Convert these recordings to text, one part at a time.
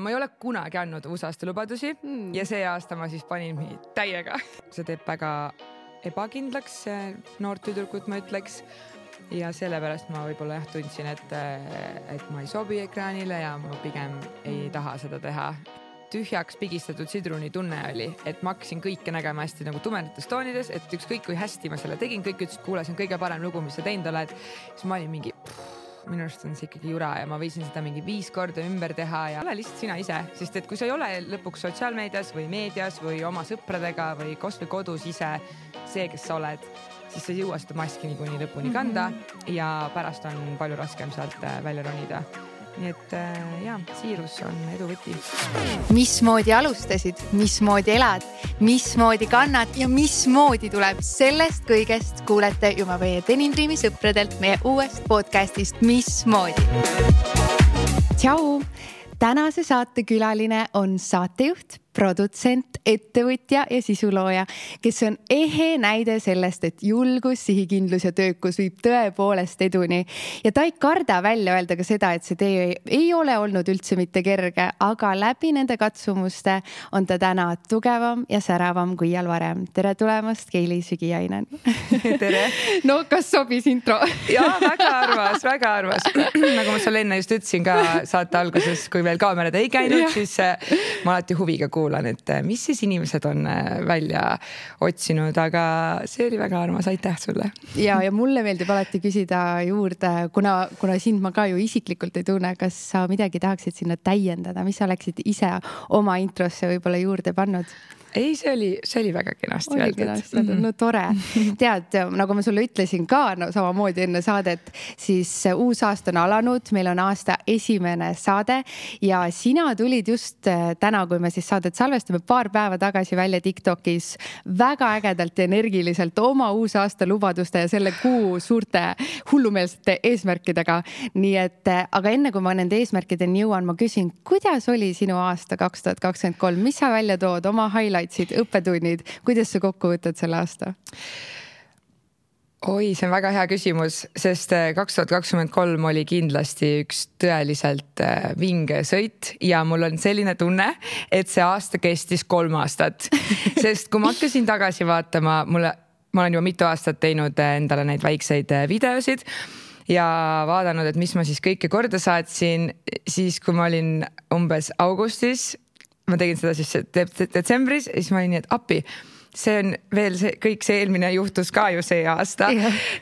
Ma ei ole kunagi andnud uusaasta lubadusi ja see aasta ma siis panin täiega. See teeb väga ebakindlaks noort tüdrukut, ma ütleks. Ja sellepärast ma võib-olla tundsin, et ma ei sobi ekraanile ja ma pigem ei taha seda teha. Tühjaks pigistatud sidruni tunne oli, et ma hakkasin kõike nägema hästi nagu tumedates toonides, et ükskõik kui hästi ma selle tegin, kõik ütles, kuule, see on kõige parem lugu, mis sa teinud oled. Siis ma olin mingi... minu arust on see ikkagi jura ja ma võisin seda mingi 5 korda ümber teha ja ole lihtsalt sina ise, sest et kui sa ei ole lõpuks sotsiaalmeedias või meedias või oma sõpradega või kasvõi kodus ise see, kes sa oled, siis sa ei jõua seda maski niikuinii lõpuni kanda ja pärast on palju raskem sealt välja ronida. Nii et siirus on edu võti. Mismoodi alustasid, mismoodi elad, mismoodi kannad ja mismoodi tuleb sellest kõigest kuulete juba meie Denim Dreami sõpradelt meie uuest podcastist Mismoodi. Tšau! Tänase saate külaline on saatejuht, produtsent, ettevõtja ja sisulooja, kes on ehe näide sellest, et julgus, sihikindlus ja töökus viib tõepoolest eduni. Ja ta ei karda välja öelda ka seda, et see tee ei ole olnud üldse mitte kerge, aga läbi nende katsumuste on ta täna tugevam ja säravam kui iial varem. Tere tulemast, Keili Sügiainen. Tere! No, kas sobis intro? Jaa, väga arvas. Nagu ma sulle enne just ütlesin ka saate alguses, kui veel kaamerad ei käinud, siis ma alati huviga kuulan, et mis siis inimesed on välja otsinud, aga see oli väga armas, aitäh sulle. Ja mulle meeldib alati küsida juurde, kuna sind ma ka ju isiklikult ei tunne, kas sa midagi tahaksid sinna täiendada, mis sa oleksid ise oma introsse võib-olla juurde pannud? Ei, see oli väga kenasti öeldud. No tore. Tead, nagu ma sulle ütlesin ka samamoodi enne saadet, siis uus aasta on alanud, meil on aasta esimene saade ja sina tulid just täna, kui me siis saadet salvestame paar päeva tagasi välja TikTokis väga ägedalt ja energiliselt oma uus aasta lubaduste ja selle kuu suurte hullumeelsete eesmärkidega. Nii et, aga enne kui ma nende eesmärkideni jõuan, ma küsin, kuidas oli sinu aasta 2023? Mis sa välja tood oma highlight? Õppetunnid, kuidas sa kokku võtad selle aasta? Oi, see on väga hea küsimus, sest 2023 oli kindlasti üks tõeliselt vinge sõit ja mul on selline tunne, et see aasta kestis 3 aastat. Sest kui ma hakkasin tagasi vaatama, ma olen juba mitu aastat teinud endale neid väikseid videosid ja vaadanud, et mis ma siis kõike korda saatsin, siis kui ma olin umbes augustis, ma tegin seda siis detsembris ja siis ma olin nii, et appi, see on veel kõik see eelmine juhtus ka ju see aasta.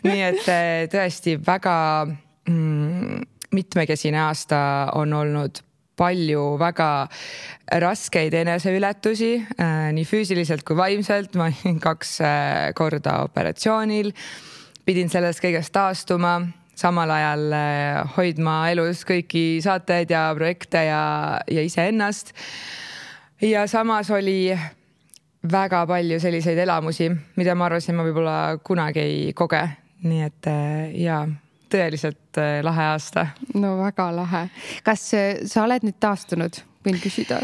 Nii et tõesti väga mitmekesine aasta on olnud palju väga raskeid eneseületusi, nii füüsiliselt kui vaimselt. Ma olin 2 korda operatsioonil, pidin sellest kõigest taastuma, samal ajal hoidma elus kõiki saateid ja projekte ja iseennast. Ja samas oli väga palju selliseid elamusi, mida ma arvasin, ma võib-olla kunagi ei koge. Nii et tõeliselt lahe aasta. No väga lahe. Kas sa oled nüüd taastunud? Võin küsida?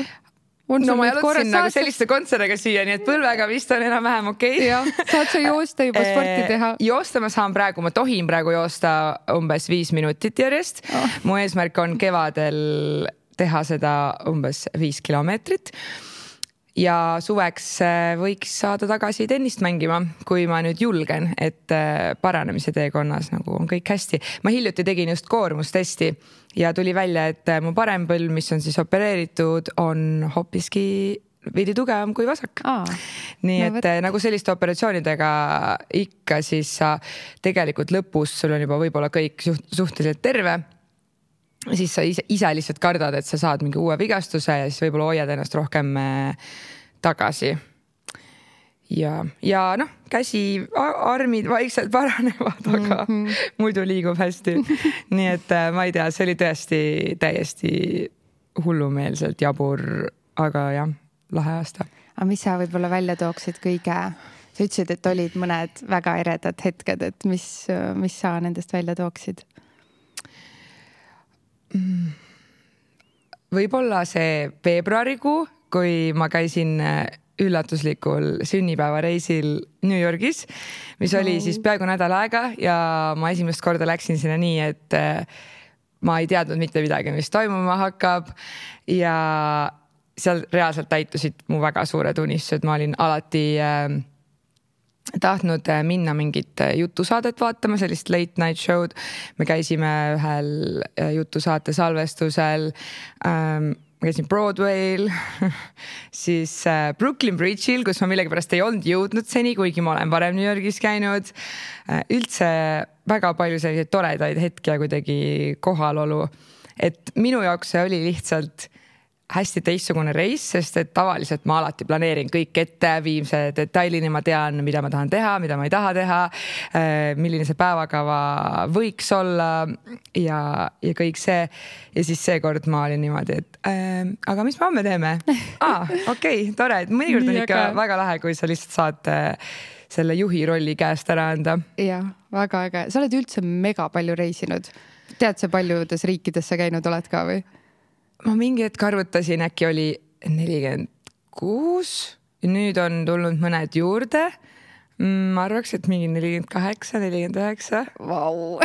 No ma jalutasin nagu selliste kontseriga siia, nii et põlvega vist on enam-vähem okei. Ja, saad sa joosta juba sporti teha? Joosta ma saan praegu, ma tohin praegu joosta umbes 5 minutit järjest. Mu eesmärk on kevadel teha seda umbes 5 kilomeetrit ja suveks võiks saada tagasi tennist mängima, kui ma nüüd julgen, et paranemise teekonnas nagu on kõik hästi. Ma hiljuti tegin just koormustesti ja tuli välja, et mu parem põlv, mis on siis opereeritud, on hoopiski veidi tugevam kui vasak. Nii et nagu selliste operatsioonidega ikka siis sa tegelikult lõpus, sul on juba võib-olla kõik suhteliselt terve, siis sa ise lihtsalt kardad, et sa saad mingi uue vigastuse ja siis võib-olla hoiad ennast rohkem tagasi. Ja noh, käsi, armid vaikselt paranevad, aga muidu liigub hästi. Nii et ma ei tea, see oli tõesti täiesti hullumeelselt jabur, aga jah, lahe aasta. Aga mis sa võib-olla välja tooksid kõige? Sa ütlesid, et olid mõned väga eredad hetked, et mis sa nendest välja tooksid? Võib-olla see veebruarikuu, kui ma käisin üllatuslikul sünnipäevareisil New Yorgis, mis oli siis peaaegu nädal aega ja ma esimest korda läksin sinna nii, et ma ei teadnud mitte midagi, mis toimuma hakkab ja seal reaalselt täitusid mu väga suured unistused. Ma olin alati tahtnud minna mingit jutusaadet vaatama, sellist late night show'd. Me käisime ühel jutusaate salvestusel, ma käisin Broadway'l, siis Brooklyn Bridge'il, kus ma millegipärast ei olnud jõudnud seni, kuigi ma olen varem New Yorgis käinud. Üldse väga palju selliseid toredaid hetki ja kuidagi kohalolu. Et minu jaoks see oli lihtsalt hästi teistsugune reis, sest et tavaliselt ma alati planeerin kõik ette, viimse detailini ma tean, mida ma tahan teha, mida ma ei taha teha, milline see päevakava võiks olla ja kõik see. Ja siis seekord ma olin niimoodi, et aga mis me homme teeme? Okei, tore, et mõnikord on ikka väga lahe, kui sa lihtsalt saad selle juhi rolli käest ära anda. Jah, väga äge. Sa oled üldse mega palju reisinud. Tead sa paljudes riikides sa käinud oled ka või? Ma mingi hetk arvutasin, äkki oli 46 ja nüüd on tulnud mõned juurde. Ma arvaks, et mingi 48, 49. Vau.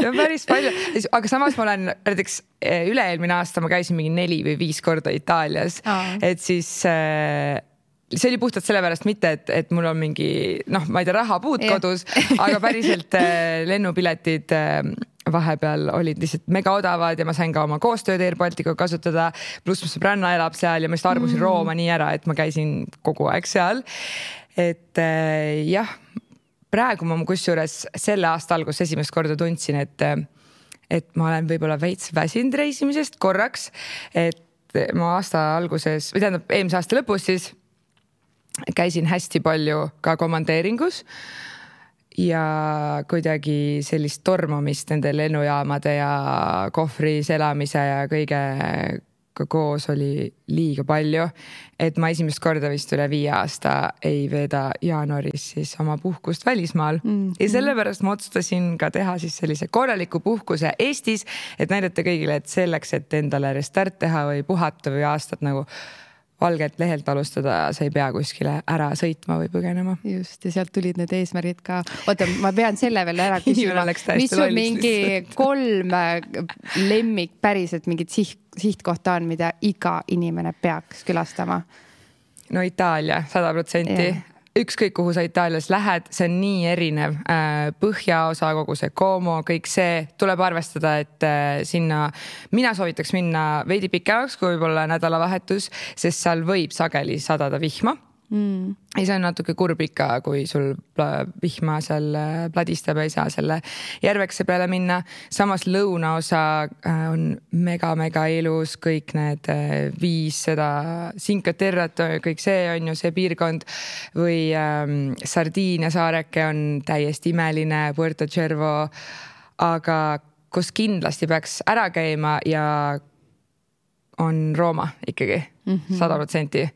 Ja päris palju. Aga samas ma olen näiteks üle-eelmine aasta ma käisin mingi 4 või 5 korda Itaalias. Et siis see oli puhtalt sellepärast mitte, et mul on mingi, ma ei tea, rahapuud kodus, aga päriselt lennupiletid vahepeal olid lihtsalt mega odavad ja ma sain ka oma koostööd Air Balticu kasutada, pluss mu sõbranna elab seal ja ma just armusin Rooma nii ära, et ma käisin kogu aeg seal. Et jah, praegu ma kusjuures selle aasta alguses esimest korda tundsin, et ma olen võib-olla veits väsinud reisimisest korraks, et ma aasta alguses, või tähendab eelmise aasta lõpus siis käisin hästi palju ka komandeeringus ja kuidagi sellist tormamist nende lennujaamade ja kohvris elamise ja kõige koos oli liiga palju, et ma esimest korda vist üle 5 aasta ei veeda jaanuaris siis oma puhkust välismaal. Ja sellepärast ma otsustasin ka teha siis sellise korraliku puhkuse Eestis, et näidata kõigile, et selleks, et endale restart teha või puhata või aastat nagu valgelt lehelt alustada, sa ei pea kuskile ära sõitma või põgenema. Just, ja sealt tulid need eesmärgid ka. Oota, ma pean selle veel ära küsima. Mis on mingi 3 lemmik päriselt mingit sihtkohta on, mida iga inimene peaks külastama? No Itaalia, 100%. Ükskõik kuhu sa Itaalias lähed, see on nii erinev. Põhjaosa, kogu see Como, kõik see tuleb arvestada, et sinna mina soovitaks minna veidi pikemaks kui võib-olla nädalavahetus, sest seal võib sageli sadada vihma. Ja see on natuke kurb ikka, kui sul vihma seal pladistab ja ei saa selle järvekse peale minna. Samas lõunaosa on mega ilus, kõik need 5 seda Cinque Terrat, kõik see on ju see piirkond või Sardiinia saareke on täiesti imeline, Puerto Cervo, aga kus kindlasti peaks ära käima ja on Rooma ikkagi 100%.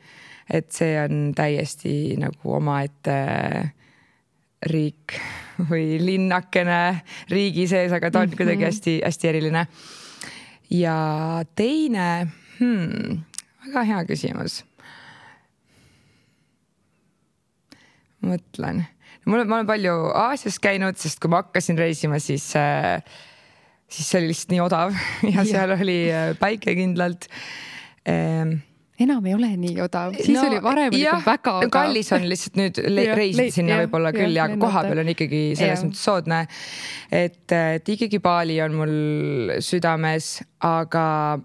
Et see on täiesti nagu omaette riik või linnakene riigi sees, aga ta on kuidagi hästi eriline. Ja teine, väga hea küsimus. Mõtlen. Ma olen palju Aasias käinud, sest kui ma hakkasin reisima, siis see oli lihtsalt nii odav ja seal oli päike kindlalt. Enam ei ole nii odav. Siis oli varem väga odav. Kallis on lihtsalt nüüd reisid sinna võib-olla küll ja koha peal on ikkagi selles mõttes soodne. Et ikkagi Bali on mul südames, aga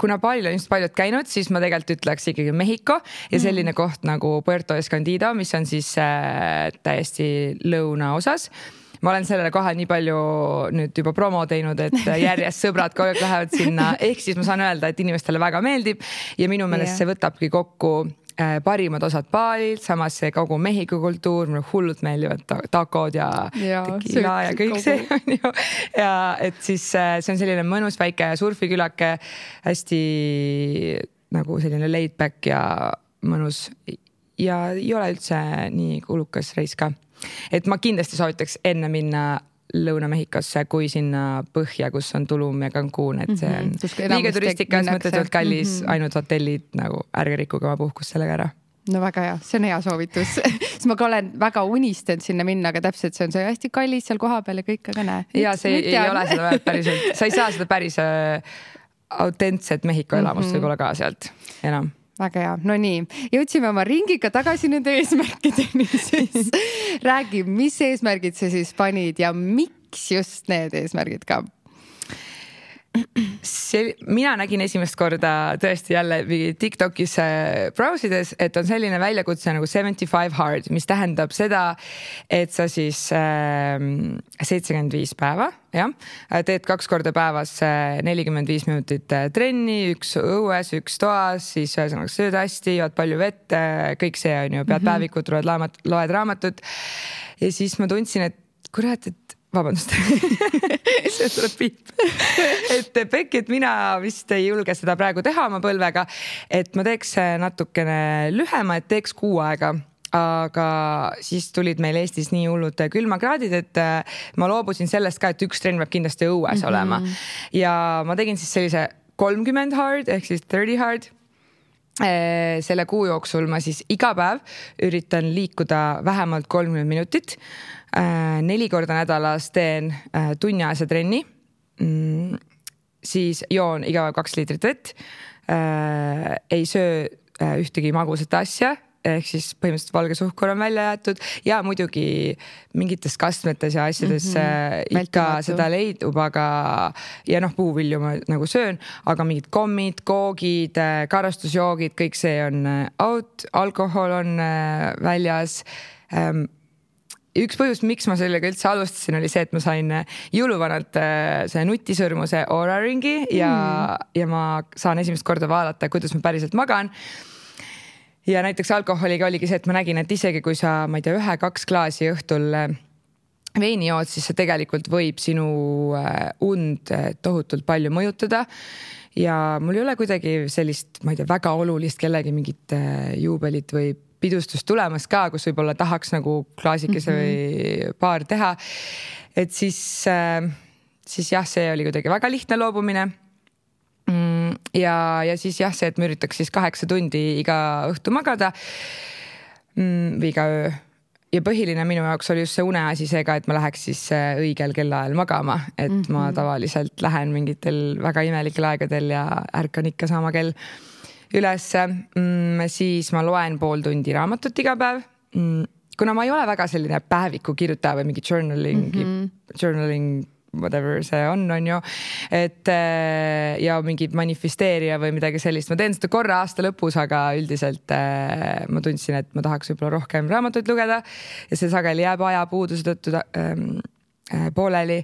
kuna Balil on just paljud käinud, siis ma tegelikult ütleks ikkagi Mehhiko ja selline koht nagu Puerto Escondido, mis on siis täiesti lõuna osas. Ma olen sellele kohe nii palju nüüd juba promo teinud, et järjest sõbrad kogu aeg lähevad sinna. Ehk siis ma saan öelda, et inimestele väga meeldib ja minu meelest see võtabki kokku parimad osad Balilt, samas see kogu Mehhiko kultuur, mulle hullult meeldivad takod ja tequila ja kõik see on ju. Ja et siis see on selline mõnus väike surfikülake, hästi nagu selline laid back ja mõnus ja ei ole üldse nii kulukas reis ka. Et ma kindlasti soovitaks enne minna Lõuna-Mehhikosse kui sinna põhja, kus on Tulum ja Cancun, et see on liiga turistikas, mõttetult kallis, ainult hotellid, nagu ärge rikkuge oma puhkust sellega ära. no väga hea, see on hea soovitus. Siis ma ka olen väga unistanud sinna minna, aga täpselt see on see hästi kallis seal koha peal ja kõik, aga näe. Ja see ei ole seda päriselt, sa ei saa seda päris autentset Mehhiko elamust võib-olla ka sealt enam. Väga hea, no nii, jõudsime oma ringiga tagasi nende eesmärkideni, siis räägi, mis eesmärgid sa siis panid ja miks just need eesmärgid ka? Mina nägin esimest korda tõesti jälle TikTokis browsides, et on selline väljakutse nagu 75 hard, mis tähendab seda, et sa siis 75 päeva, jah, teed 2 korda päevas 45 minutit trenni, 1 õues, 1 toas, siis ühesõnaga sööd hästi, jood palju vett, kõik see on ju, pead päevikut, loed raamatut. Ja siis ma tundsin, et kurat, et vabandust, see tuleb piip. Et Pekki, et mina vist ei julge seda praegu teha oma põlvega, et ma teeks natukene lühema, et teeks 6 aega. Aga siis tulid meil Eestis nii hullud külmakraadid, et ma loobusin sellest ka, et 1 trenn peab kindlasti õues olema. Ja ma tegin siis sellise 30 hard ehk siis 30 hard. Selle kuu jooksul ma siis iga päev üritan liikuda vähemalt 30 minutit. 4 korda nädalas teen tunniajase trenni. Siis joon iga päev 2 liitrit vett. Ei söö ühtegi magusat asja. Ehk siis põhimõtteliselt valge suhkur on välja jäetud ja muidugi mingites kastmetes ja asjades ikka seda leidub, aga ja puuvilju ma nagu söön, aga mingid kommid, koogid, karastusjoogid, kõik see on out, alkohol on väljas. Üks põhjus, miks ma sellega üldse alustasin, oli see, et ma sain jõuluvanalt see nutisõrmuse Oura ringi ja ma saan esimest korda vaadata, kuidas ma päriselt magan. Ja näiteks alkoholiga oligi see, et ma nägin, et isegi kui sa, ma ei tea, 1-2 klaasi õhtul veini jood, siis see tegelikult võib sinu und tohutult palju mõjutada. Ja mul ei ole kuidagi sellist, ma ei tea, väga olulist kellegi mingit juubelit või pidustust tulemas ka, kus võib-olla tahaks nagu klaasikese või paar teha. Et siis jah, see oli kuidagi väga lihtne loobumine. Ja siis jah, see, et ma üritaks siis 8 tundi iga õhtu magada või iga öö. Ja põhiline minu jaoks oli just see uneasi seega, et ma läheks siis õigel kellaajal magama, et ma tavaliselt lähen mingitel väga imelikel aegadel ja ärkan ikka sama kell üles. Siis ma loen 0,5 tundi raamatut iga päev. Kuna ma ei ole väga selline päeviku kirjutaja või mingi journaling whatever see on ju, et ja mingi manifesteerija või midagi sellist. Ma teen seda korra aasta lõpus, aga üldiselt ma tundsin, et ma tahaks võib-olla rohkem raamatuid lugeda ja see sageli jääb ajapuuduse tõttu pooleli.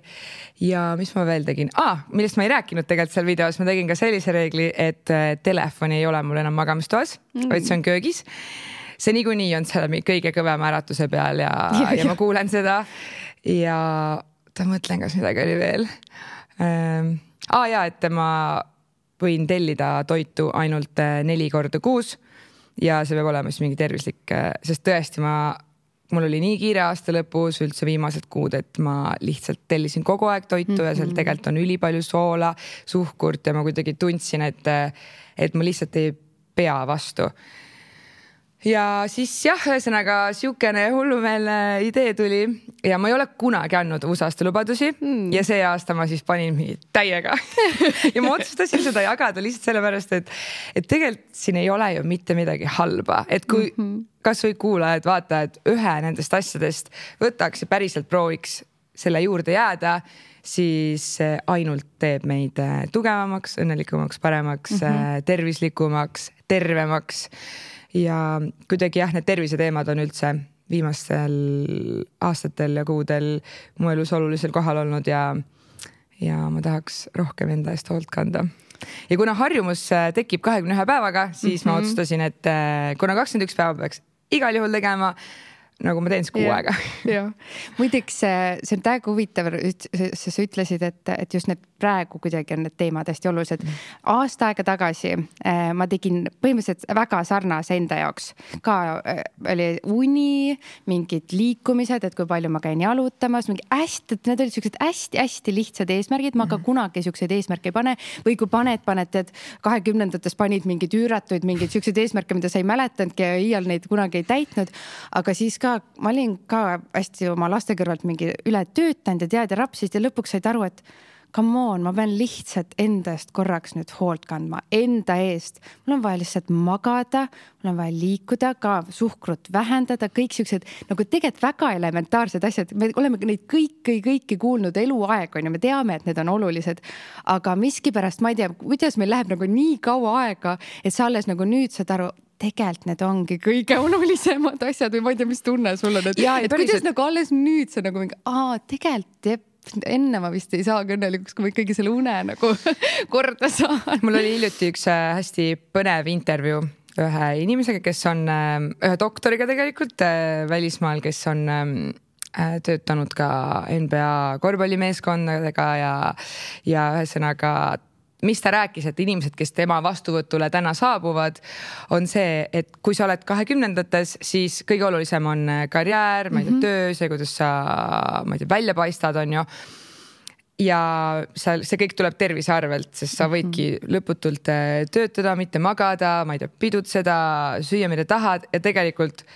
Ja mis ma veel tegin? Millest ma ei rääkinud tegelikult seal videos, ma tegin ka sellise reegli, et telefoni ei ole mul enam magamistoas, vaid see on köögis. See niikuinii on seal kõige kõvema äratuse peal ja ma kuulen seda ja mõtlen, kas midagi oli veel. Et ma võin tellida toitu ainult 4 korda kuus ja see peab olema siis mingi tervislik, sest tõesti mul oli nii kiire aasta lõpus üldse viimased kuud, et ma lihtsalt tellisin kogu aeg toitu ja seal tegelikult on ülipalju soola, suhkurt ja ma kuidagi tundsin, et ma lihtsalt ei pea vastu. Ja siis jah, ühesõnaga siukene hullumeelne idee tuli ja ma ei ole kunagi andnud uusaasta lubadusi ja see aasta ma siis panin täiega ja ma otsustasin seda jagada lihtsalt sellepärast, et tegelikult siin ei ole ju mitte midagi halba, et kui kas või kuulajad, vaatajad ühe nendest asjadest võtaks ja päriselt prooviks selle juurde jääda, siis ainult teeb meid tugevamaks, õnnelikumaks, paremaks, tervislikumaks, tervemaks. Ja kuidagi jah, need terviseteemad on üldse viimastel aastatel ja kuudel mu elus olulisel kohal olnud ja ma tahaks rohkem enda eest hoolt kanda. Ja kuna harjumus tekib 21 päevaga, siis ma otsustasin, et kuna 21 päeva peaks igal juhul tegema, nagu ma teen siis kuu aega. Muideks see on täiega huvitav, sa ütlesid, et just need praegu kuidagi on need teemad hästi olulised. Aasta aega tagasi ma tegin põhimõtteliselt väga sarnase enda jaoks. Ka oli uni, mingid liikumised, et kui palju ma käin jalutamas, need olid sellised hästi lihtsad eesmärgid, ma ka kunagi selliseid eesmärke ei pane või kui paned, et 20-ndates panid mingid üüratuid, mingid sellised eesmärke, mida sa ei mäletanudki ja iial neid kunagi ei täitnud, aga siis ma olin ka hästi oma laste kõrvalt mingi üle töötanud ja tead ja rapsist ja lõpuks said aru, et come on, ma pean lihtsalt enda eest korraks nüüd hoolt kandma, enda eest. Mul on vaja lihtsalt magada, mul on vaja liikuda, ka suhkrut vähendada, kõik sellised nagu tegelikult väga elementaarsed asjad. Me oleme neid kõiki kuulnud eluaeg on ja me teame, et need on olulised, aga miskipärast ma ei tea, kuidas meil läheb nagu nii kaua aega, et sa alles nagu nüüd saad aru, tegelikult need ongi kõige olulisemad asjad või ma ei tea, mis tunne sul on, et kuidas nagu alles nüüd sa nagu mingi, tegelikult enne ma vist ei saa õnnelikuks, kui ma ikkagi selle une nagu korda saan. Mul oli hiljuti üks hästi põnev intervjuu ühe inimesega, kes on ühe doktoriga tegelikult välismaal, kes on töötanud ka NBA korvpallimeeskondadega ja ühesõnaga mis ta rääkis, et inimesed, kes tema vastuvõtule täna saabuvad, on see, et kui sa oled 20-ndates, siis kõige olulisem on karjäär, ma ei tea, töö, see, kuidas sa välja paistad, on ju. Ja see kõik tuleb tervise arvelt, sest sa võidki lõputult töötada, mitte magada, ma ei tea, pidutseda, süüa, mida tahad ja tegelikult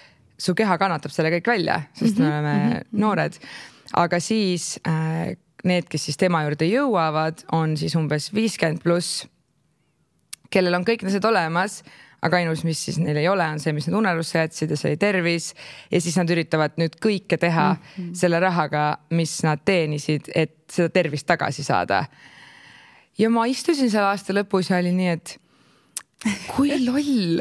su keha kannatab selle kõik välja, sest me oleme noored. Aga siis need, kes siis tema juurde jõuavad, on siis umbes 50+, kellel on kõik need olemas, aga ainus, mis siis neil ei ole, on see, mis nad unerusse jätsid ja see tervis. Ja siis nad üritavad nüüd kõike teha selle rahaga, mis nad teenisid, et seda tervist tagasi saada. Ja ma istusin seal aasta lõpus ja oli nii, et kui loll.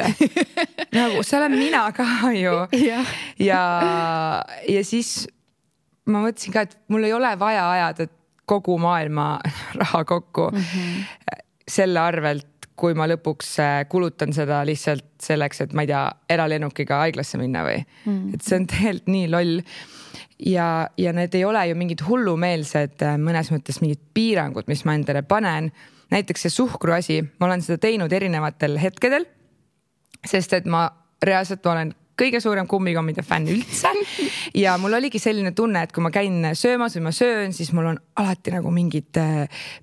Nagu, see olen mina ka ju. Ja siis ma mõtlesin ka, et mul ei ole vaja ajada kogu maailma raha kokku selle arvelt, kui ma lõpuks kulutan seda lihtsalt selleks, et ma ei tea, eralennukiga haiglasse minna või. Et see on tegelikult nii loll. Ja need ei ole ju mingid hullumeelsed mõnes mõttes mingid piirangud, mis ma endale panen. Näiteks see suhkru asi, ma olen seda teinud erinevatel hetkedel, sest et ma reaalselt olen kõige suurem kummikommide fänn üldse ja mul oligi selline tunne, et kui ma käin söömas või ma söön, siis mul on alati nagu mingit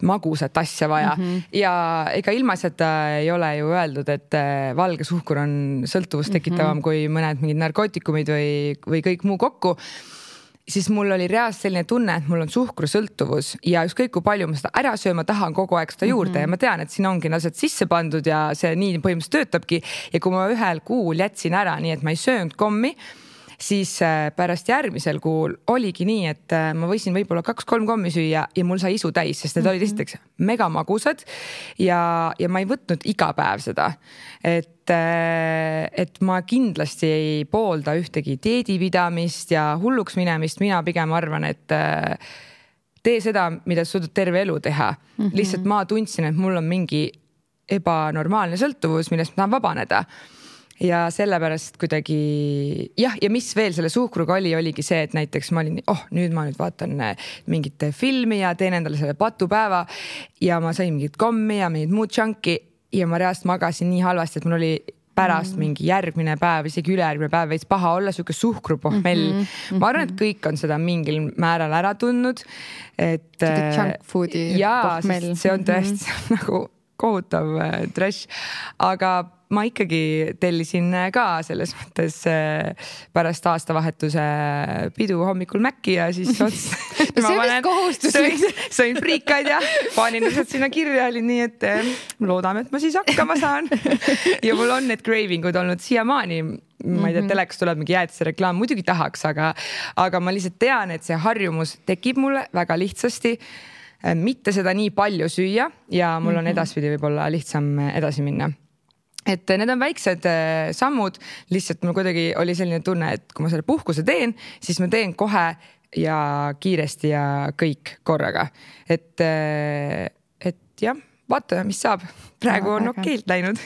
magusat asja vaja ja ega ilmaasjata ei ole ju öeldud, et valge suhkur on sõltuvust tekitavam kui mõned mingid narkootikumid või kõik muu kokku. Siis mul oli reaalselt selline tunne, et mul on suhkrusõltuvus ja ükskõik kui palju ma seda ära sööma tahan kogu aeg seda juurde ja ma tean, et siin ongi asjad sisse pandud ja see nii põhimõtteliselt töötabki ja kui ma ühel kuul jätsin ära, nii et ma ei söönud kommi, siis pärast järgmisel kuul oligi nii, et ma võisin võib-olla 2-3 kommi süüa ja mul sai isu täis, sest need olid esiteks mega magusad ja ma ei võtnud iga päev seda. Et ma kindlasti ei poolda ühtegi dieedipidamist ja hulluks minemist, mina pigem arvan, et tee seda, mida sa suudad terve elu teha. Lihtsalt ma tundsin, et mul on mingi ebanormaalne sõltuvus, millest ma tahan vabaneda. Ja sellepärast kuidagi ja mis veel selle suhkruga oligi see, et näiteks ma olin, nüüd ma vaatan mingit filmi ja teen endale selle patupäeva ja ma sain mingit kommi ja mingit muud džanki ja ma reaalselt magasin nii halvasti, et mul oli pärast mingi järgmine päev, isegi ülejärgmine päev veits paha olla, siuke suhkrupohmell. Ma arvan, et kõik on seda mingil määral ära tundnud. Junk foodi pohmell. See on tõesti nagu kohutav trash, aga ma ikkagi tellisin ka selles mõttes pärast aastavahetuse pidu hommikul Mäkki ja siis sõin friikaid ja panin lihtsalt sinna kirja, oli nii, et loodame, et ma siis hakkama saan. Ja mul on need cravingud olnud siiamaani, ma ei tea, teleks tuleb mingi jäätise reklaam, muidugi tahaks, aga ma lihtsalt tean, et see harjumus tekib mulle väga lihtsasti, mitte seda nii palju süüa ja mul on edaspidi võib-olla lihtsam edasi minna. Et need on väiksed sammud, lihtsalt mul kuidagi oli selline tunne, et kui ma selle puhkuse teen, siis ma teen kohe ja kiiresti ja kõik korraga. Et jah, vaatame, mis saab. Praegu on okeilt läinud.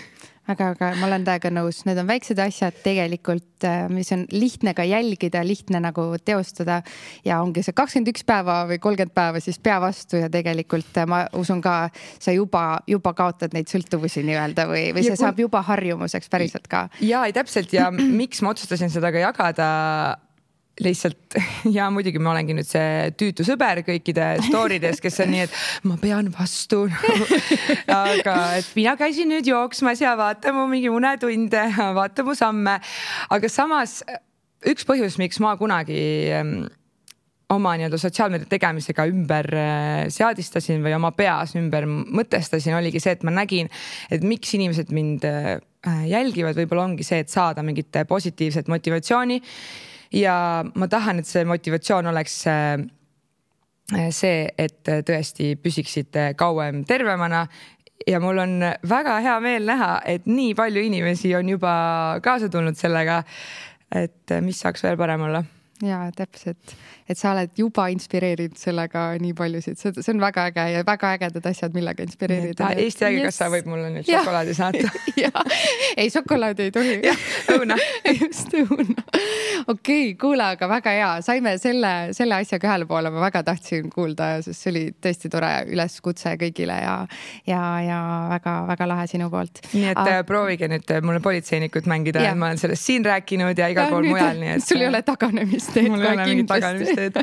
aga ma olen täiega nõus, need on väiksed asjad tegelikult, mis on lihtne ka jälgida, lihtne nagu teostada ja ongi see 21 päeva või 30 päeva siis pea vastu ja tegelikult ma usun ka, sa juba kaotad neid sõltuvusi nii-öelda või see saab juba harjumuseks päriselt ka. Ja täpselt ja miks ma otsustasin seda ka jagada lihtsalt ja muidugi ma olengi nüüd see tüütu sõber kõikide storydes, kes on nii, et ma pean vastu aga et mina käisin nüüd jooksmas ja vaata mu mingi unetunde, vaata mu samme, aga samas üks põhjus, miks ma kunagi oma nii-öelda sotsiaalmeedia tegemisega ümber seadistasin või oma peas ümber mõtestasin, oligi see, et ma nägin, et miks inimesed mind jälgivad, võib-olla ongi see, et saada mingit positiivset motivatsiooni. Ja ma tahan, et see motivatsioon oleks see, et tõesti püsiksite kauem tervemana ja mul on väga hea meel näha, et nii palju inimesi on juba kaasa tulnud sellega, et mis saaks veel parem olla. Ja täpselt, et sa oled juba inspireerinud sellega nii paljusid, see on väga äge ja väga ägedad asjad, millega inspireerida. Eesti Haigekassa võib mulle nüüd šokolaadi saata. Ei, šokolaadi ei tohi. Õuna. Just õuna. Okei, kuule, aga väga hea. Saime selle asjaga ühele poole, ma väga tahtsin kuulda, sest see oli tõesti tore üleskutse kõigile ja väga lahe sinu poolt. Nii et proovige nüüd mulle politseinikut mängida, ma olen sellest siin rääkinud ja igal pool mujal. Nii et sul ei ole taganemist. Mul ei ole mingit taganemisteed.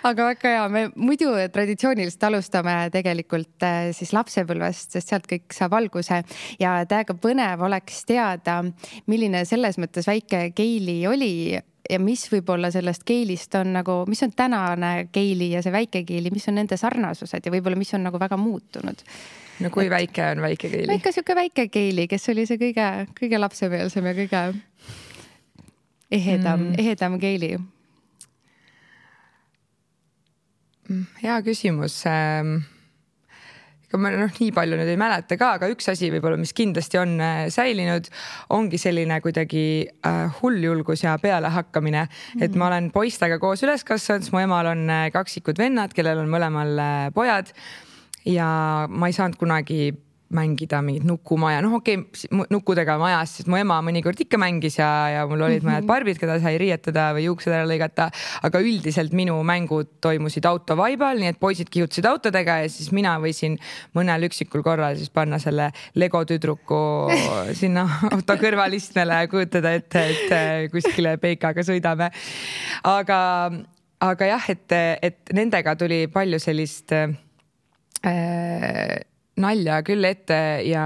Aga väga hea, me muidu traditsiooniliselt alustame tegelikult siis lapsepõlvest, sest sealt kõik saab alguse ja täiega põnev oleks teada, milline selles mõttes väike Keili oli ja mis võib-olla sellest Keilist on nagu, mis on tänane Keili ja see väike Keili, mis on nende sarnasused ja võib-olla mis on nagu väga muutunud. No kui väike on väike Keili? Ikka siuke väike Keili, kes oli see kõige lapsemeelsem ja kõige ehedam Keili? Hea küsimus. Ma nii palju nüüd ei mäleta ka, aga üks asi võib-olla, mis kindlasti on säilinud, ongi selline kuidagi hulljulgus ja pealehakkamine. Et ma olen poistega koos üles kasvanud, mu emal on kaksikud vennad, kellel on mõlemal pojad ja ma ei saanud kunagi mängida mingit nukumaja. Nukkudega majas, sest mu ema mõnikord ikka mängis ja mul olid mõned barbid, keda sai riietada või juuksed ära lõigata, aga üldiselt minu mängud toimusid autovaibal, nii et poisid kihutasid autodega ja siis mina võisin mõnel üksikul korral siis panna selle Lego tüdruku sinna auto kõrvalistmele ja kujutada ette, et kuskile peikaga sõidame. Aga jah, et nendega tuli palju sellist nalja küll ette ja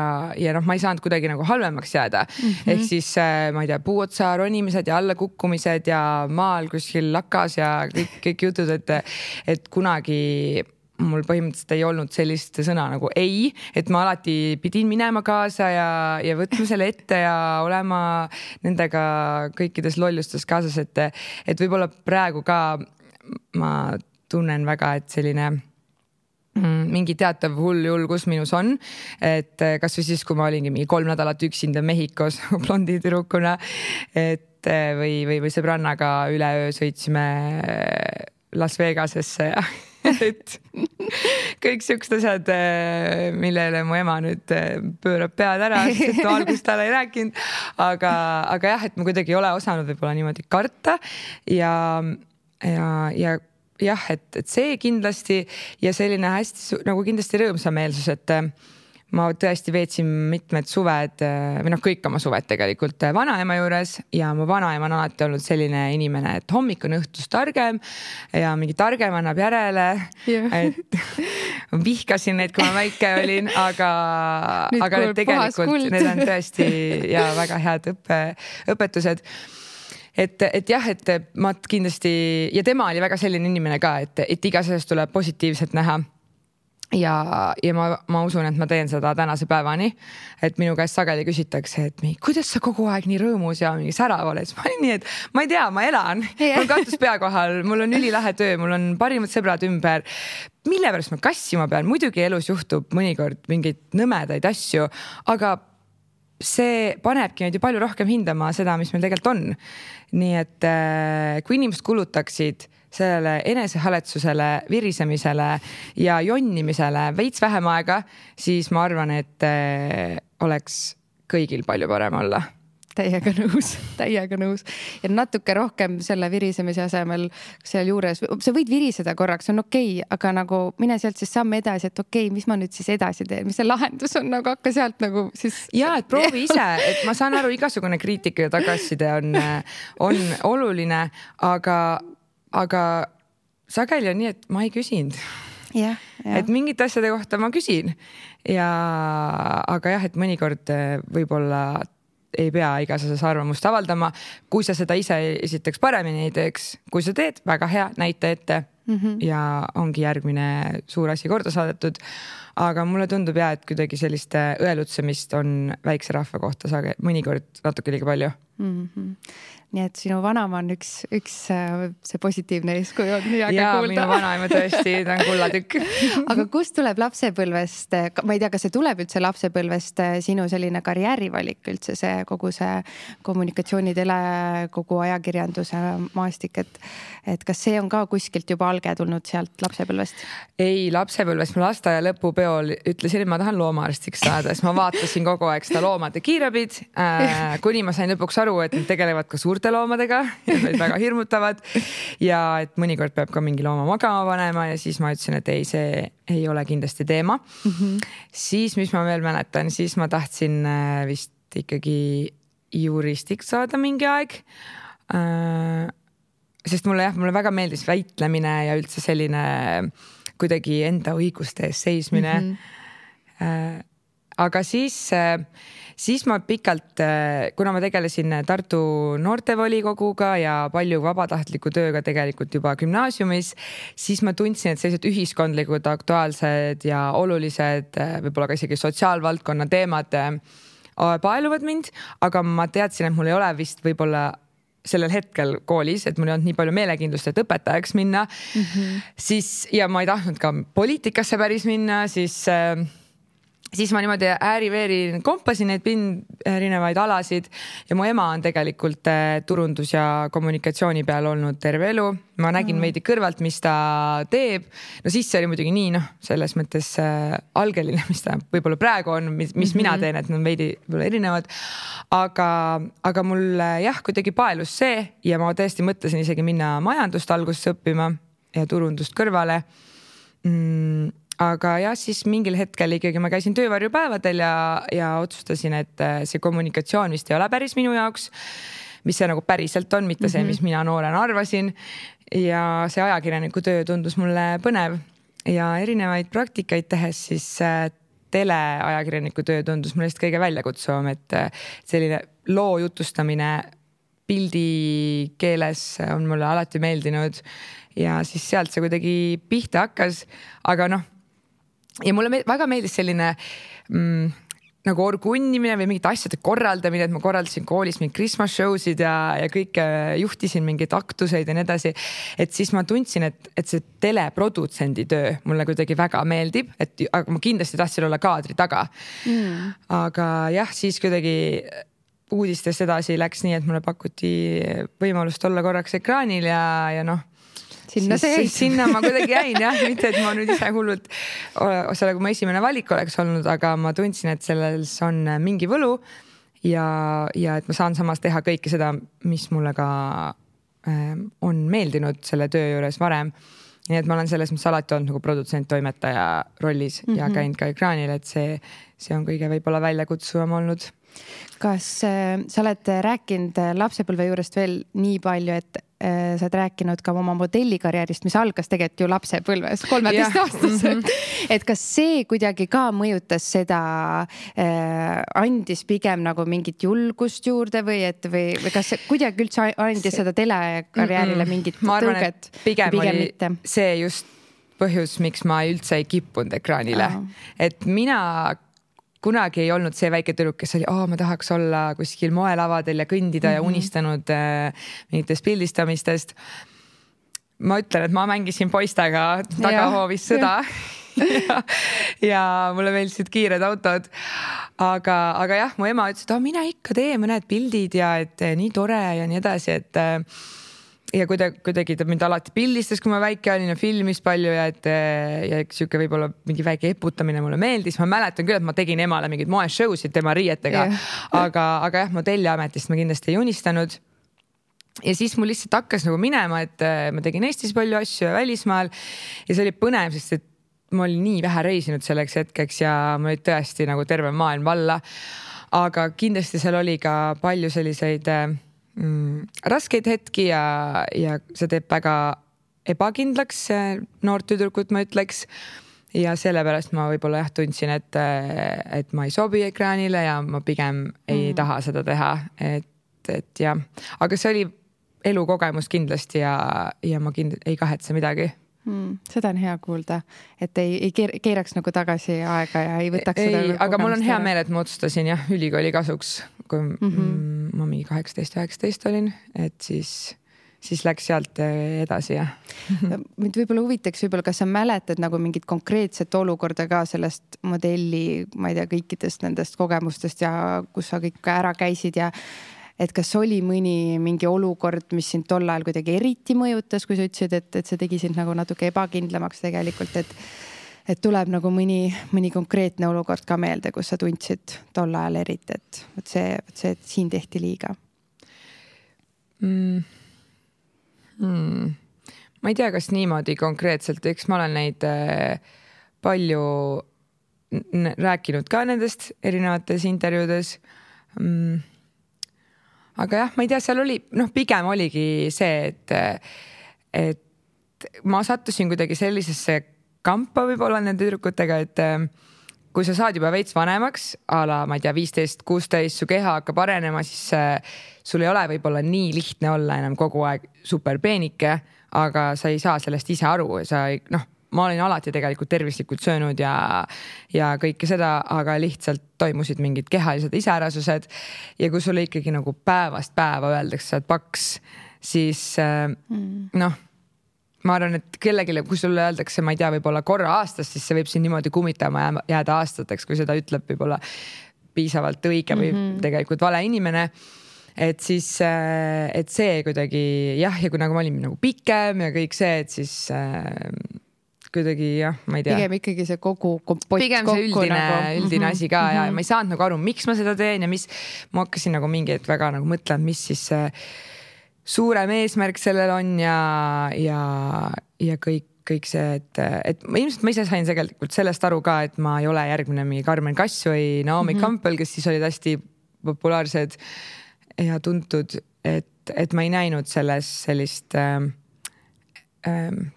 ma ei saanud kuidagi nagu halvemaks jääda. Ehk siis, ma ei tea, puuotsa ronimised ja allakukkumised ja maal kuskil lakas ja kõik jutud, et kunagi mul põhimõtteliselt ei olnud sellist sõna nagu ei, et ma alati pidin minema kaasa ja võtma selle ette ja olema nendega kõikides lollustes kaasas, et võib-olla praegu ka ma tunnen väga, et selline mingi teatav hull julgus minus on, et kas või siis, kui ma olingi mingi 3 nädalat üksinda Mehhikos blondi tüdrukuna, et või sõbrannaga üleöö sõitsime Las Vegasesse ja et kõik siuksed asjad, millele mu ema nüüd pöörab pead ära, sest ma algust talle ei rääkinud, aga jah, et ma kuidagi ei ole osanud võib-olla niimoodi karta ja jah, et see kindlasti ja selline hästi nagu kindlasti rõõmsameelsus, et ma tõesti veetsin mitmed suved või kõik oma suved tegelikult vanaema juures ja mu vanaema on alati olnud selline inimene, et hommik on õhtust targem ja mingi targem annab järele, et vihkasin neid, kui ma väike olin, aga need tegelikult need on tõesti ja väga head õpetused. Et jah, et ma kindlasti ja tema oli väga selline inimene ka, et igas asjas tuleb positiivselt näha ja ma usun, et ma teen seda tänase päevani, et minu käest sageli küsitakse, et kuidas sa kogu aeg nii rõõmus ja mingi särav oled, ma olin nii, et ma ei tea, ma elan, mul katus pea kohal, mul on ülilahe töö, mul on parimad sõbrad ümber, mille pärast ma kassima pean, muidugi elus juhtub mõnikord mingeid nõmedaid asju, aga see panebki meid ju palju rohkem hindama seda, mis meil tegelikult on. Nii et kui inimesed kulutaksid sellele enesehaletsusele, virisemisele ja jonnimisele veits vähem aega, siis ma arvan, et oleks kõigil palju parem olla. Täiega nõus. Ja natuke rohkem selle virisemise asemel seal juures, sa võid viriseda korraks, on okei, aga nagu mine sealt siis samme edasi, et okei, mis ma nüüd siis edasi teen, mis see lahendus on, nagu hakka sealt nagu siis. Ja, et proovi ise, et ma saan aru, igasugune kriitika ja tagasiside on oluline, aga sageli on nii, et ma ei küsinud. Et mingit asjade kohta ma küsin. Aga jah, et mõnikord võib-olla ei pea igas asjas arvamust avaldama, kui sa seda ise esiteks paremini ei teeks, kui sa teed, väga hea, näita ette ja ongi järgmine suur asi korda saadetud. Aga mulle tundub et kuidagi selliste õelutsemist on väikse rahva kohta mõnikord natuke liiga palju. Nii et sinu vanaema on üks see positiivne eeskuju on hea ja kuulda. Minu vanaema tõesti, ta on kullatükk. Aga kust tuleb lapsepõlvest, ma ei tea, kas see tuleb üldse lapsepõlvest sinu selline karjäärivalik üldse see kogu see kommunikatsioonitele, kogu ajakirjanduse maastik, et kas see on ka kuskilt juba alge tulnud sealt lapsepõlvest? Ei, lapsepõlvest ma lasteaia lõpupeol ütlesin, et ma tahan loomaarstiks saada, siis ma vaatasin kogu aeg seda loomade kiirabid, kuni ma sain lõpuks aru, et nad tegelevad ka suurte loomadega ja need väga hirmutavad ja et mõnikord peab ka mingi looma magama panema ja siis ma ütlesin, et ei, see ei ole kindlasti teema. Siis, mis ma veel mäletan, siis ma tahtsin vist ikkagi juristiks saada mingi aeg. Sest mulle väga meeldis väitlemine ja üldse selline kuidagi enda õiguste ees seismine. Aga siis ma pikalt, kuna ma tegelesin Tartu noortevolikoguga ja palju vabatahtliku tööga tegelikult juba gümnaasiumis, siis ma tundsin, et sellised ühiskondlikud, aktuaalsed ja olulised, võib-olla ka isegi sotsiaalvaldkonna teemad paeluvad mind, aga ma teadsin, et mul ei ole vist võib-olla sellel hetkel koolis, et mul ei olnud nii palju meelekindlust, et õpetajaks minna. Siis, ja ma ei tahtnud ka poliitikasse päris minna, siis ma niimoodi ääri-veeri kompasin neid erinevaid alasid ja mu ema on tegelikult turundus- ja kommunikatsiooni peal olnud terve elu. Ma nägin veidi kõrvalt, mis ta teeb. No siis see oli muidugi nii, selles mõttes algeline, mis ta võib-olla praegu on, mis mina teen, et nad on veidi erinevad. Aga mul kuidagi paelus see ja ma tõesti mõtlesin isegi minna majandust alguses õppima ja turundust kõrvale. Aga siis mingil hetkel ikkagi ma käisin töövarjupäevadel ja otsustasin, et see kommunikatsioon vist ei ole päris minu jaoks, mis see nagu päriselt on, mitte see, mis mina noorena arvasin. Ja see ajakirjaniku töö tundus mulle põnev ja erinevaid praktikaid tehes siis teleajakirjaniku töö tundus mulle kõige väljakutsuvam, et selline loo jutustamine pildi keeles on mulle alati meeldinud ja siis sealt see kuidagi pihta hakkas, aga ja mulle väga meeldis selline nagu orgunnimine või mingite asjade korraldamine, et ma korraldasin koolis mingid Christmas show'sid ja kõike juhtisin mingeid aktuseid ja nii edasi. Et siis ma tundsin, et see teleprodutsendi töö mulle kuidagi väga meeldib, aga ma kindlasti tahtsin olla kaadri taga. Aga siis kuidagi uudistest edasi läks nii, et mulle pakuti võimalust olla korraks ekraanil ja sinna ma kuidagi jäin mitte et ma nüüd ise hullult kui ma esimene valik oleks olnud, aga ma tundsin, et selles on mingi võlu ja et ma saan samas teha kõike seda, mis mulle ka on meeldinud selle töö juures varem. Nii et ma olen selles mõttes alati olnud nagu produtsent, toimetaja rollis ja käinud ka ekraanil, et see on kõige võib-olla väljakutsuvam olnud. Kas sa oled rääkinud lapsepõlve juurest veel nii palju, et sa oled rääkinud ka oma modellikarjäärist, mis algas tegelikult ju lapsepõlves 13-aastaselt. Et kas see kuidagi ka mõjutas seda, andis pigem nagu mingit julgust juurde või kas kuidagi üldse andis seda telekarjäärile mingit tõuget? Ma arvan, et pigem oli mitte. See just põhjus, miks ma üldse ei kippunud ekraanile. Et mina kunagi ei olnud see väike tüdruk, kes oli, ma tahaks olla kuskil moelavadel ja kõndida ja unistanud mingitest pildistamistest. Ma ütlen, et ma mängisin poistega tagahoovis sõda ja mulle meeldisid kiired autod. Aga mu ema ütles, et mina ikka tee mõned pildid ja et nii tore ja nii edasi, et ja kuidagi ta mind alati pildistas, kui ma väike olin ja filmis palju ja siuke võib-olla mingi väike eputamine mulle meeldis. Ma mäletan küll, et ma tegin emale mingid moeshow'sid tema riietega, aga jah, modelliametist ma kindlasti ei unistanud. Ja siis mul lihtsalt hakkas nagu minema, et ma tegin Eestis palju asju ja välismaal ja see oli põnev, sest et ma olin nii vähe reisinud selleks hetkeks ja ma olin tõesti nagu terve maailm valla. Aga kindlasti seal oli ka palju selliseid raskeid hetki ja see teeb väga ebakindlaks noort tüdrukut, ma ütleks. Ja sellepärast ma võib-olla tundsin, et ma ei sobi ekraanile ja ma pigem ei taha seda teha. Et jah, aga see oli elukogemus kindlasti ja ma ei kahetse midagi. Seda on hea kuulda, et ei keeraks nagu tagasi aega ja ei võtaks seda. Aga mul on hea meel, et ma otsustasin ülikooli kasuks, kui ma mingi 18-19 olin, et siis läks sealt edasi. Mind võib-olla huvitaks, kas sa mäletad nagu mingit konkreetset olukorda ka sellest modelli, ma ei tea, kõikidest nendest kogemustest ja kus sa kõik ära käisid ja et kas oli mingi olukord, mis sind tol ajal kuidagi eriti mõjutas, kui sa ütlesid, et see tegi sind nagu natuke ebakindlamaks tegelikult, et tuleb nagu mõni konkreetne olukord ka meelde, kus sa tundsid tol ajal eriti, et see siin tehti liiga? Ma ei tea, kas niimoodi konkreetselt, eks ma olen neid palju rääkinud ka nendest erinevates intervjuudes. Aga jah, ma ei tea, seal oli, pigem oligi see, et ma sattusin kuidagi sellisesse kampa võib-olla nende tüdrukutega, et kui sa saad juba veits vanemaks, ma ei tea, 15-16, su keha hakkab arenema, siis sul ei ole võib-olla nii lihtne olla enam kogu aeg super peenike, aga sa ei saa sellest ise aru. Ma olin alati tegelikult tervislikult söönud ja kõike seda, aga lihtsalt toimusid mingid kehalised iseärasused ja kui sulle ikkagi nagu päevast päeva öeldakse, sa oled paks, siis ma arvan, et kellegile, kui sulle öeldakse, ma ei tea, võib-olla korra aastas, siis see võib siin niimoodi kummitama jääda aastateks, kui seda ütleb võib-olla piisavalt õige või tegelikult vale inimene. Et siis, et see kuidagi ja kui nagu ma olin nagu pikem ja kõik see, et siis kuidagi ma ei tea. Pigem ikkagi see kogu kompott pigem see üldine asi ka ja ma ei saanud nagu aru, miks ma seda teen ja ma hakkasin nagu mingi hetk väga nagu mõtlema, mis siis suurem eesmärk sellel on ja kõik see, et ilmselt ma ise sain tegelikult sellest aru ka, et ma ei ole järgmine mingi Carmen Kass või Naomi Campbell, kes siis olid hästi populaarsed ja tuntud, et ma ei näinud selles sellist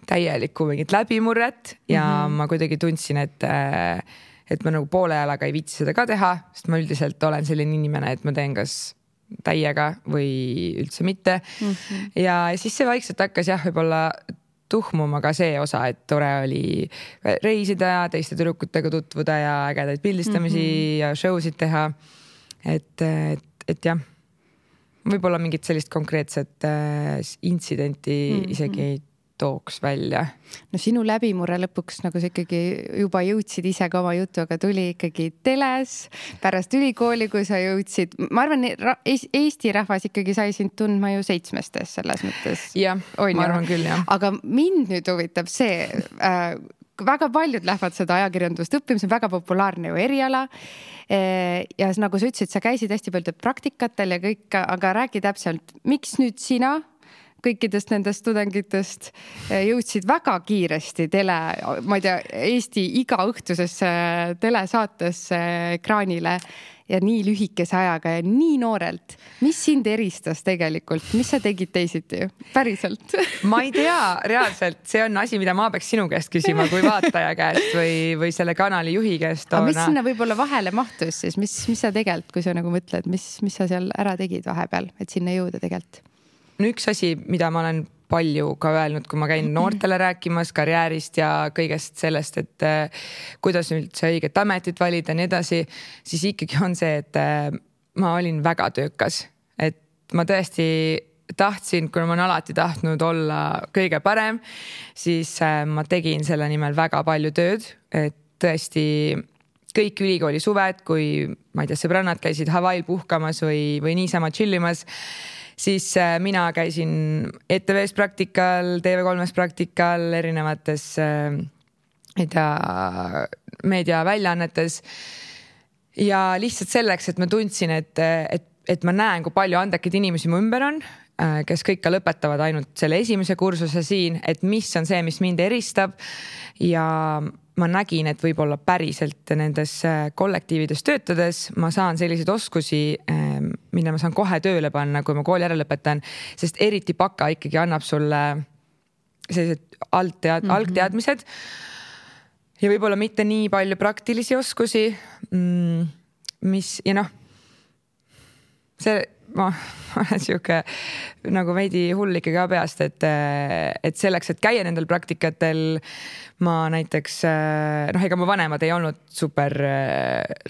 täielikku mingit läbimurret ja ma kuidagi tundsin, et ma nagu poole jalaga ei viitsi seda ka teha, sest ma üldiselt olen selline inimene, et ma teen kas täiega või üldse mitte. Ja siis see vaikselt hakkas võib-olla tuhmuma ka see osa, et tore oli reisida ja teiste tüdrukutega tutvuda ja ägedaid pildistamisi ja show'sid teha. Et jah, võib-olla mingit sellist konkreetset intsidenti isegi ei tooks välja. No sinu läbimurre lõpuks nagu sa ikkagi juba jõudsid ise ka oma jutuga, tuli ikkagi teles pärast ülikooli, kui sa jõudsid. Ma arvan, Eesti rahvas ikkagi sai sind tundma ju 7-stes selles mõttes. Jah, ma arvan küll, jah. Aga mind nüüd huvitab see, väga paljud lähevad seda ajakirjandust õppima, see on väga populaarne ju eriala. Ja nagu sa ütlesid, sa käisid hästi palju praktikatel ja kõik, aga räägi täpselt, miks nüüd sina kõikidest nendest tudengitest jõudsid väga kiiresti ma ei tea, Eesti igaõhtusesse telesaatesse ekraanile ja nii lühikese ajaga ja nii noorelt. Mis sind eristas tegelikult? Mis sa tegid teisiti? Päriselt? Ma ei tea, reaalselt. See on asi, mida ma peaks sinu käest küsima kui vaataja käest või selle kanali juhi käest. Aga mis sinna võib-olla vahele mahtus siis? Mis sa tegelikult, kui sa nagu mõtled, mis sa seal ära tegid vahepeal, et sinna jõuda tegelikult? No üks asi, mida ma olen palju ka öelnud, kui ma käin noortele rääkimas karjäärist ja kõigest sellest, et kuidas üldse õiget ametit valida ja nii edasi, siis ikkagi on see, et ma olin väga töökas. Et ma tõesti tahtsin, kuna ma olen alati tahtnud olla kõige parem, siis ma tegin selle nimel väga palju tööd, et tõesti kõik ülikooli suved, kui ma ei tea, sõbrannad käisid Hawaii'l puhkamas või niisama chillimas, siis mina käisin ETV-s praktikal, TV3-s praktikal, erinevates meediaväljaannetes ja lihtsalt selleks, et ma tundsin, et ma näen, kui palju andekaid inimesi mu ümber on, kes kõik ka lõpetavad ainult selle esimese kursuse siin, et mis on see, mis mind eristab ja ma nägin, et võib-olla päriselt nendes kollektiivides töötades ma saan selliseid oskusi, mida ma saan kohe tööle panna, kui ma kooli ära lõpetan, sest eriti baka ikkagi annab sulle sellised algteadmised ja võib-olla mitte nii palju praktilisi oskusi, mis ja see ma olen siuke nagu veidi hull ikkagi ka peast, et selleks, et käia nendel praktikatel ma näiteks, ega mu vanemad ei olnud super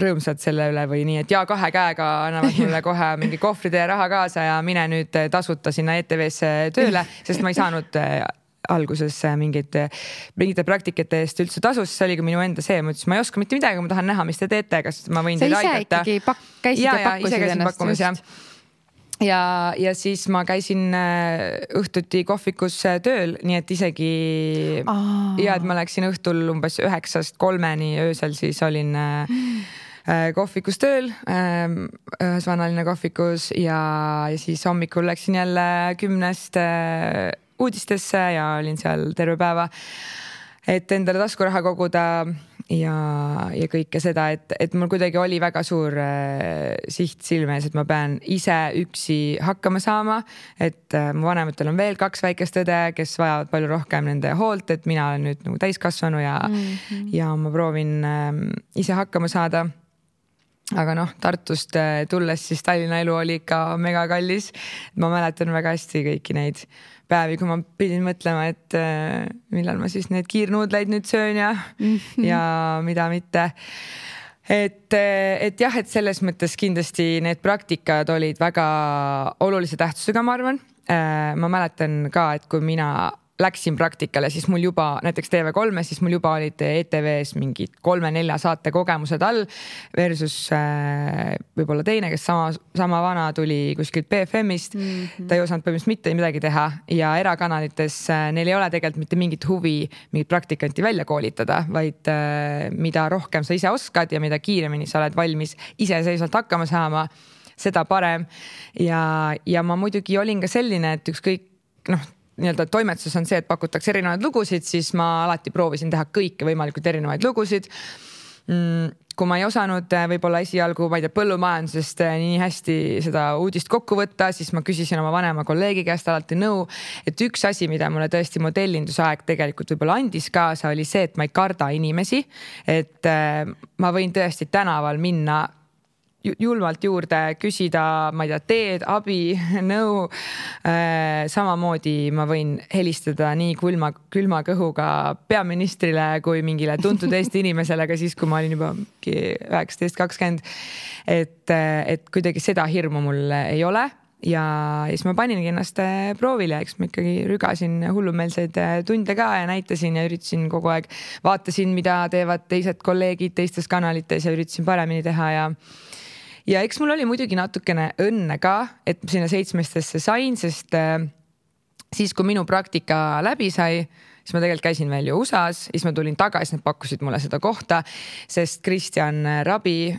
rõõmsad selle üle või nii, et 2 käega annavad mulle kohe mingi kohvride ja raha kaasa ja mine nüüd tasuta sinna ETV-sse tööle, sest ma ei saanud alguses mingite praktikate eest üldse tasus, see oli ka minu enda see, ma ütlesin, ma ei oska mitte midagi, ma tahan näha, mis te teete, kas ma võin teid aidata. Sa ise ikkagi käisid ja pakkusid ennast. Ja siis ma käisin õhtuti kohvikus tööl, nii et isegi et ma läksin õhtul umbes 9-st 3-ni öösel, siis olin kohvikus tööl, ühes vanaline kohvikus ja siis hommikul läksin jälle 10-st uudistesse ja olin seal terve päeva, et endale taskuraha koguda ja kõike seda, et mul kuidagi oli väga suur siht silmes, et ma pean ise üksi hakkama saama, et mu vanematel on veel 2 väikest õde, kes vajavad palju rohkem nende hoolt, et mina olen nüüd nagu täiskasvanu ja ma proovin ise hakkama saada. Aga Tartust tulles siis Tallinna elu oli ikka mega kallis. Ma mäletan väga hästi kõiki neid päevi, kui ma pidin mõtlema, et millal ma siis need kiirnuudleid nüüd söön ja mida mitte. Et jah, et selles mõttes kindlasti need praktikad olid väga olulise tähtsusega, ma arvan. Ma mäletan ka, et kui mina läksin praktikale, siis mul juba näiteks TV3, siis mul juba olid ETV-s mingid 3-4 saate kogemused all versus võib-olla teine, kes sama vana tuli kuskilt BFM-ist. Ta ei osanud põhimõtteliselt mitte midagi teha ja erakanalites neil ei ole tegelikult mitte mingit huvi mingit praktikanti välja koolitada, vaid mida rohkem sa ise oskad ja mida kiiremini sa oled valmis iseseisvalt hakkama saama, seda parem. Ja ma muidugi olin ka selline, et ükskõik nii-öelda toimetuses on see, et pakutakse erinevaid lugusid, siis ma alati proovisin teha kõike võimalikult erinevaid lugusid. Kui ma ei osanud võib-olla esialgu, ma ei tea, põllumajandusest nii hästi seda uudist kokku võtta, siis ma küsisin oma vanema kolleegi käest alati nõu, et üks asi, mida mulle tõesti modellindusaeg tegelikult võib-olla andis kaasa, oli see, et ma ei karda inimesi, et ma võin tõesti tänaval minna julmalt juurde, küsida, ma ei tea, teed, abi, nõu. Samamoodi ma võin helistada nii külma kõhuga peaministrile kui mingile tuntud Eesti inimesele, aga siis, kui ma olin juba 19-20, et kuidagi seda hirmu mul ei ole. Ja siis ma paningi ennast proovile, eks ma ikkagi rügasin hullumeelseid tunde ka ja näitasin ja üritasin kogu aeg, vaatasin, mida teevad teised kolleegid teistes kanalites ja üritasin paremini teha ja eks mul oli muidugi natukene õnne ka, et sinna 7-stesse sain, sest siis, kui minu praktika läbi sai, siis ma tegelikult käisin veel ju USA-s, siis ma tulin tagasi, nad pakkusid mulle seda kohta, sest Kristjan Rabi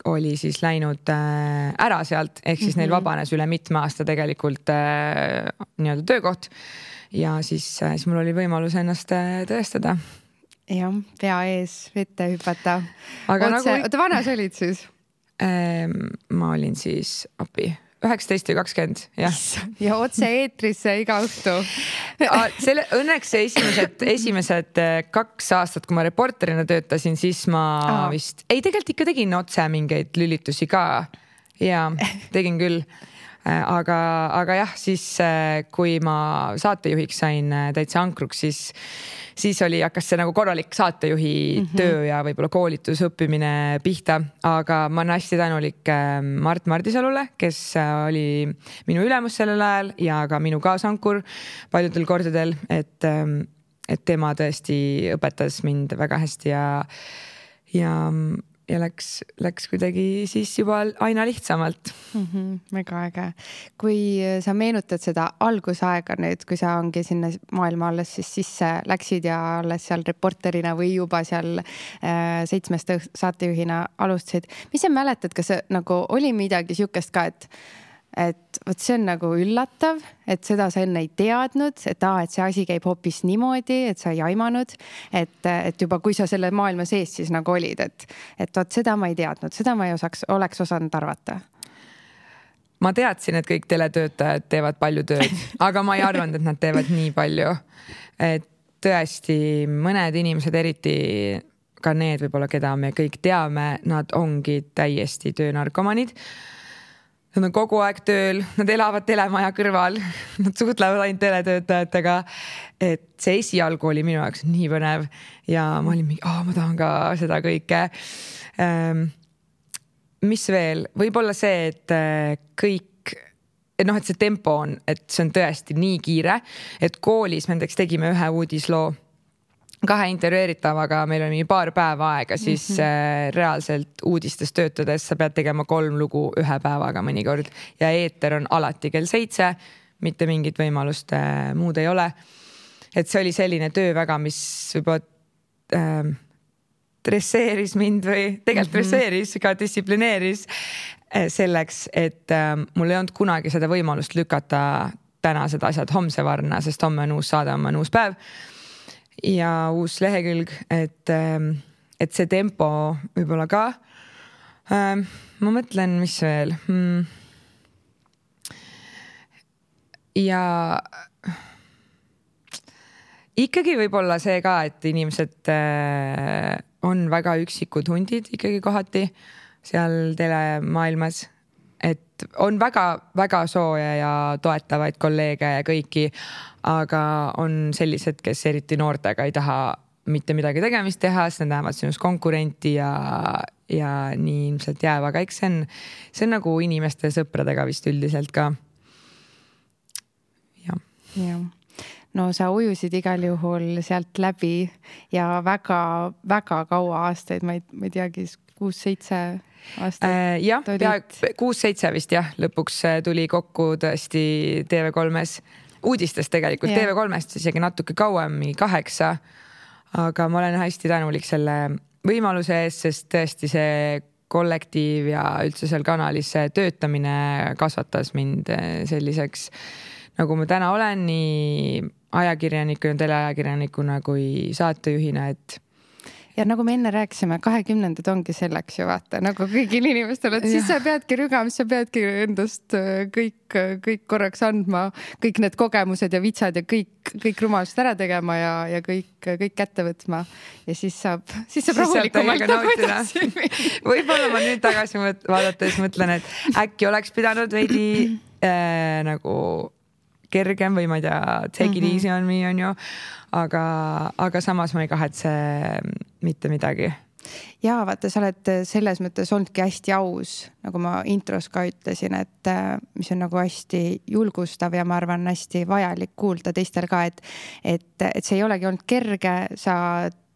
oli siis läinud ära sealt, ehk siis neil vabanes üle mitme aasta tegelikult nii-öelda töökoht ja siis mul oli võimalus ennast tõestada. Jah, pea ees vette hüpata. Aga oota, vanas olid siis? Ma olin siis 19 ja 20, jah. Ja otse eetrisse iga õhtu. Õnneks esimesed 2 aastat, kui ma reporterina töötasin, siis ma vist, tegelikult ikka tegin otse mingeid lülitusi ka ja tegin küll. Aga jah, siis kui ma saatejuhiks sain täitsa ankruks, siis hakkas see nagu korralik saatejuhi töö ja võib-olla koolitus õppimine pihta, aga ma olen hästi tänulik Mart Mardisalule, kes oli minu ülemus sellel ajal ja ka minu kaasankur paljudel kordadel, et tema tõesti õpetas mind väga hästi ja läks kuidagi siis juba aina lihtsamalt. Väga äge. Kui sa meenutad seda algusaega nüüd, kui sa ongi sinna maailma alles siis sisse läksid ja alles seal reporterina või juba seal 7 saatejuhina alustasid, mis sa mäletad, kas nagu oli midagi siukest ka, et võt see on nagu üllatav, et seda sa enne ei teadnud, et see asi käib hoopis niimoodi, et sa ei aimanud, et juba kui sa selle maailma sees siis nagu olid, et võt seda ma ei teadnud, seda ma ei oleks osanud arvata. Ma teadsin, et kõik teletöötajad teevad palju tööd, aga ma ei arvanud, et nad teevad nii palju. Et tõesti mõned inimesed, eriti ka need võib-olla, keda me kõik teame, nad ongi täiesti töönarkomanid. Nad on kogu aeg tööl, nad elavad telemaja kõrval, nad suhtlevad ainult teletöötajatega. Et see esialgu oli minu jaoks nii põnev ja ma olin mingi, ma tahan ka seda kõike. Mis veel? Võib-olla see, et kõik, et see tempo on, et see on tõesti nii kiire, et koolis me näiteks tegime ühe uudisloo 2 intervjueeritavaga, meil oli paar päeva aega, siis reaalselt uudistes töötades sa pead tegema 3 lugu 1 päevaga mõnikord ja eeter on alati kell 7, mitte mingit võimalust muud ei ole. Et see oli selline töö väga, mis juba dresseeris mind või tegelikult dresseeris, ka distsiplineeris selleks, et mul ei olnud kunagi seda võimalust lükata tänased asjad homse varna, sest homme on uus saade, homme on uus päev ja uus lehekülg, et see tempo võib-olla ka. Ma mõtlen, mis veel. Ja ikkagi võib-olla see ka, et inimesed on väga üksikud hundid ikkagi kohati seal telemaailmas. Et on väga sooja ja toetavaid kolleege ja kõiki, aga on sellised, kes eriti noortega ei taha mitte midagi tegemist teha, sest nad näevad sinust konkurenti ja nii ilmselt jääb, aga eks see on nagu inimeste ja sõpradega vist üldiselt ka. Ja. No sa ujusid igal juhul sealt läbi ja väga kaua aastaid, ma ei teagi, 6-7 aastat. Jah, 6-7 vist jah, lõpuks tuli kokku tõesti TV3-s uudistes tegelikult, TV3-st isegi natuke kauem, 8, aga ma olen hästi tänulik selle võimaluse eest, sest tõesti see kollektiiv ja üldse seal kanalis töötamine kasvatas mind selliseks, nagu ma täna olen, nii ajakirjanikuna, teleajakirjanikuna kui saatejuhina, et ja nagu me enne rääkisime, 20 ongi selleks ju vaata, nagu kõigil inimestel, et siis sa peadki rügama, sa peadki endast kõik korraks andma, kõik need kogemused ja vitsad ja kõik rumalust ära tegema ja kõik kätte võtma ja siis saab rahulikumalt nagu edasi. Võib-olla ma nüüd tagasi vaadates mõtlen, et äkki oleks pidanud veidi nagu kergem või ma ei tea, take it easy on me on ju, aga samas ma ei kahetse mitte midagi. Ja vaata, sa oled selles mõttes olnudki hästi aus, nagu ma intros ka ütlesin, et mis on nagu hästi julgustav ja ma arvan hästi vajalik kuulda teistel ka, et see ei olegi olnud kerge, sa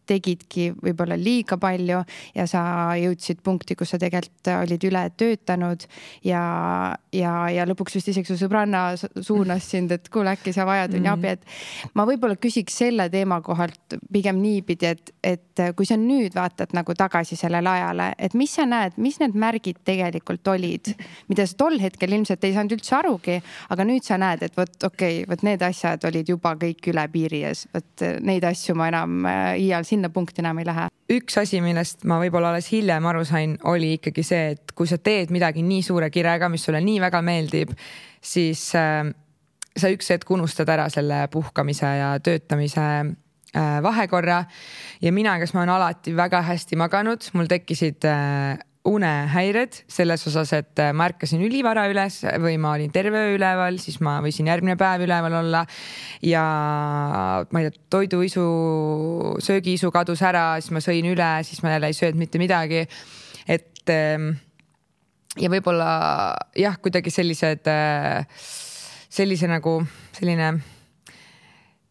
tegidki võib-olla liiga palju ja sa jõudsid punkti, kus sa tegelikult olid üle töötanud ja lõpuks vist isegi su sõbranna suunas sind, et kuule, äkki sa vajad on abi, et ma võib-olla küsiks selle teema kohalt pigem niipidi, et kui sa nüüd vaatad nagu tagasi sellele ajale, et mis sa näed, mis need märgid tegelikult olid, mida sa tol hetkel ilmselt ei saanud üldse arugi, aga nüüd sa näed, et võt need asjad olid juba kõik üle piiri ja võt neid asju ma enam iial sinna punkti enam ei lähe. Üks asi, millest ma võib-olla alles hiljem aru sain, oli ikkagi see, et kui sa teed midagi nii suure kirega, mis sulle nii väga meeldib, siis sa üks hetk unustad ära selle puhkamise ja töötamise vahekorra ja mina, kes ma olen alati väga hästi maganud, mul tekkisid unehäired selles osas, et ma ärkasin ülivara üles või ma olin terve öö üleval, siis ma võisin järgmine päev üleval olla ja ma ei tea, toiduisu, söögiisu kadus ära, siis ma sõin üle, siis ma jälle ei sööd mitte midagi. Et ja võib-olla jah, kuidagi selline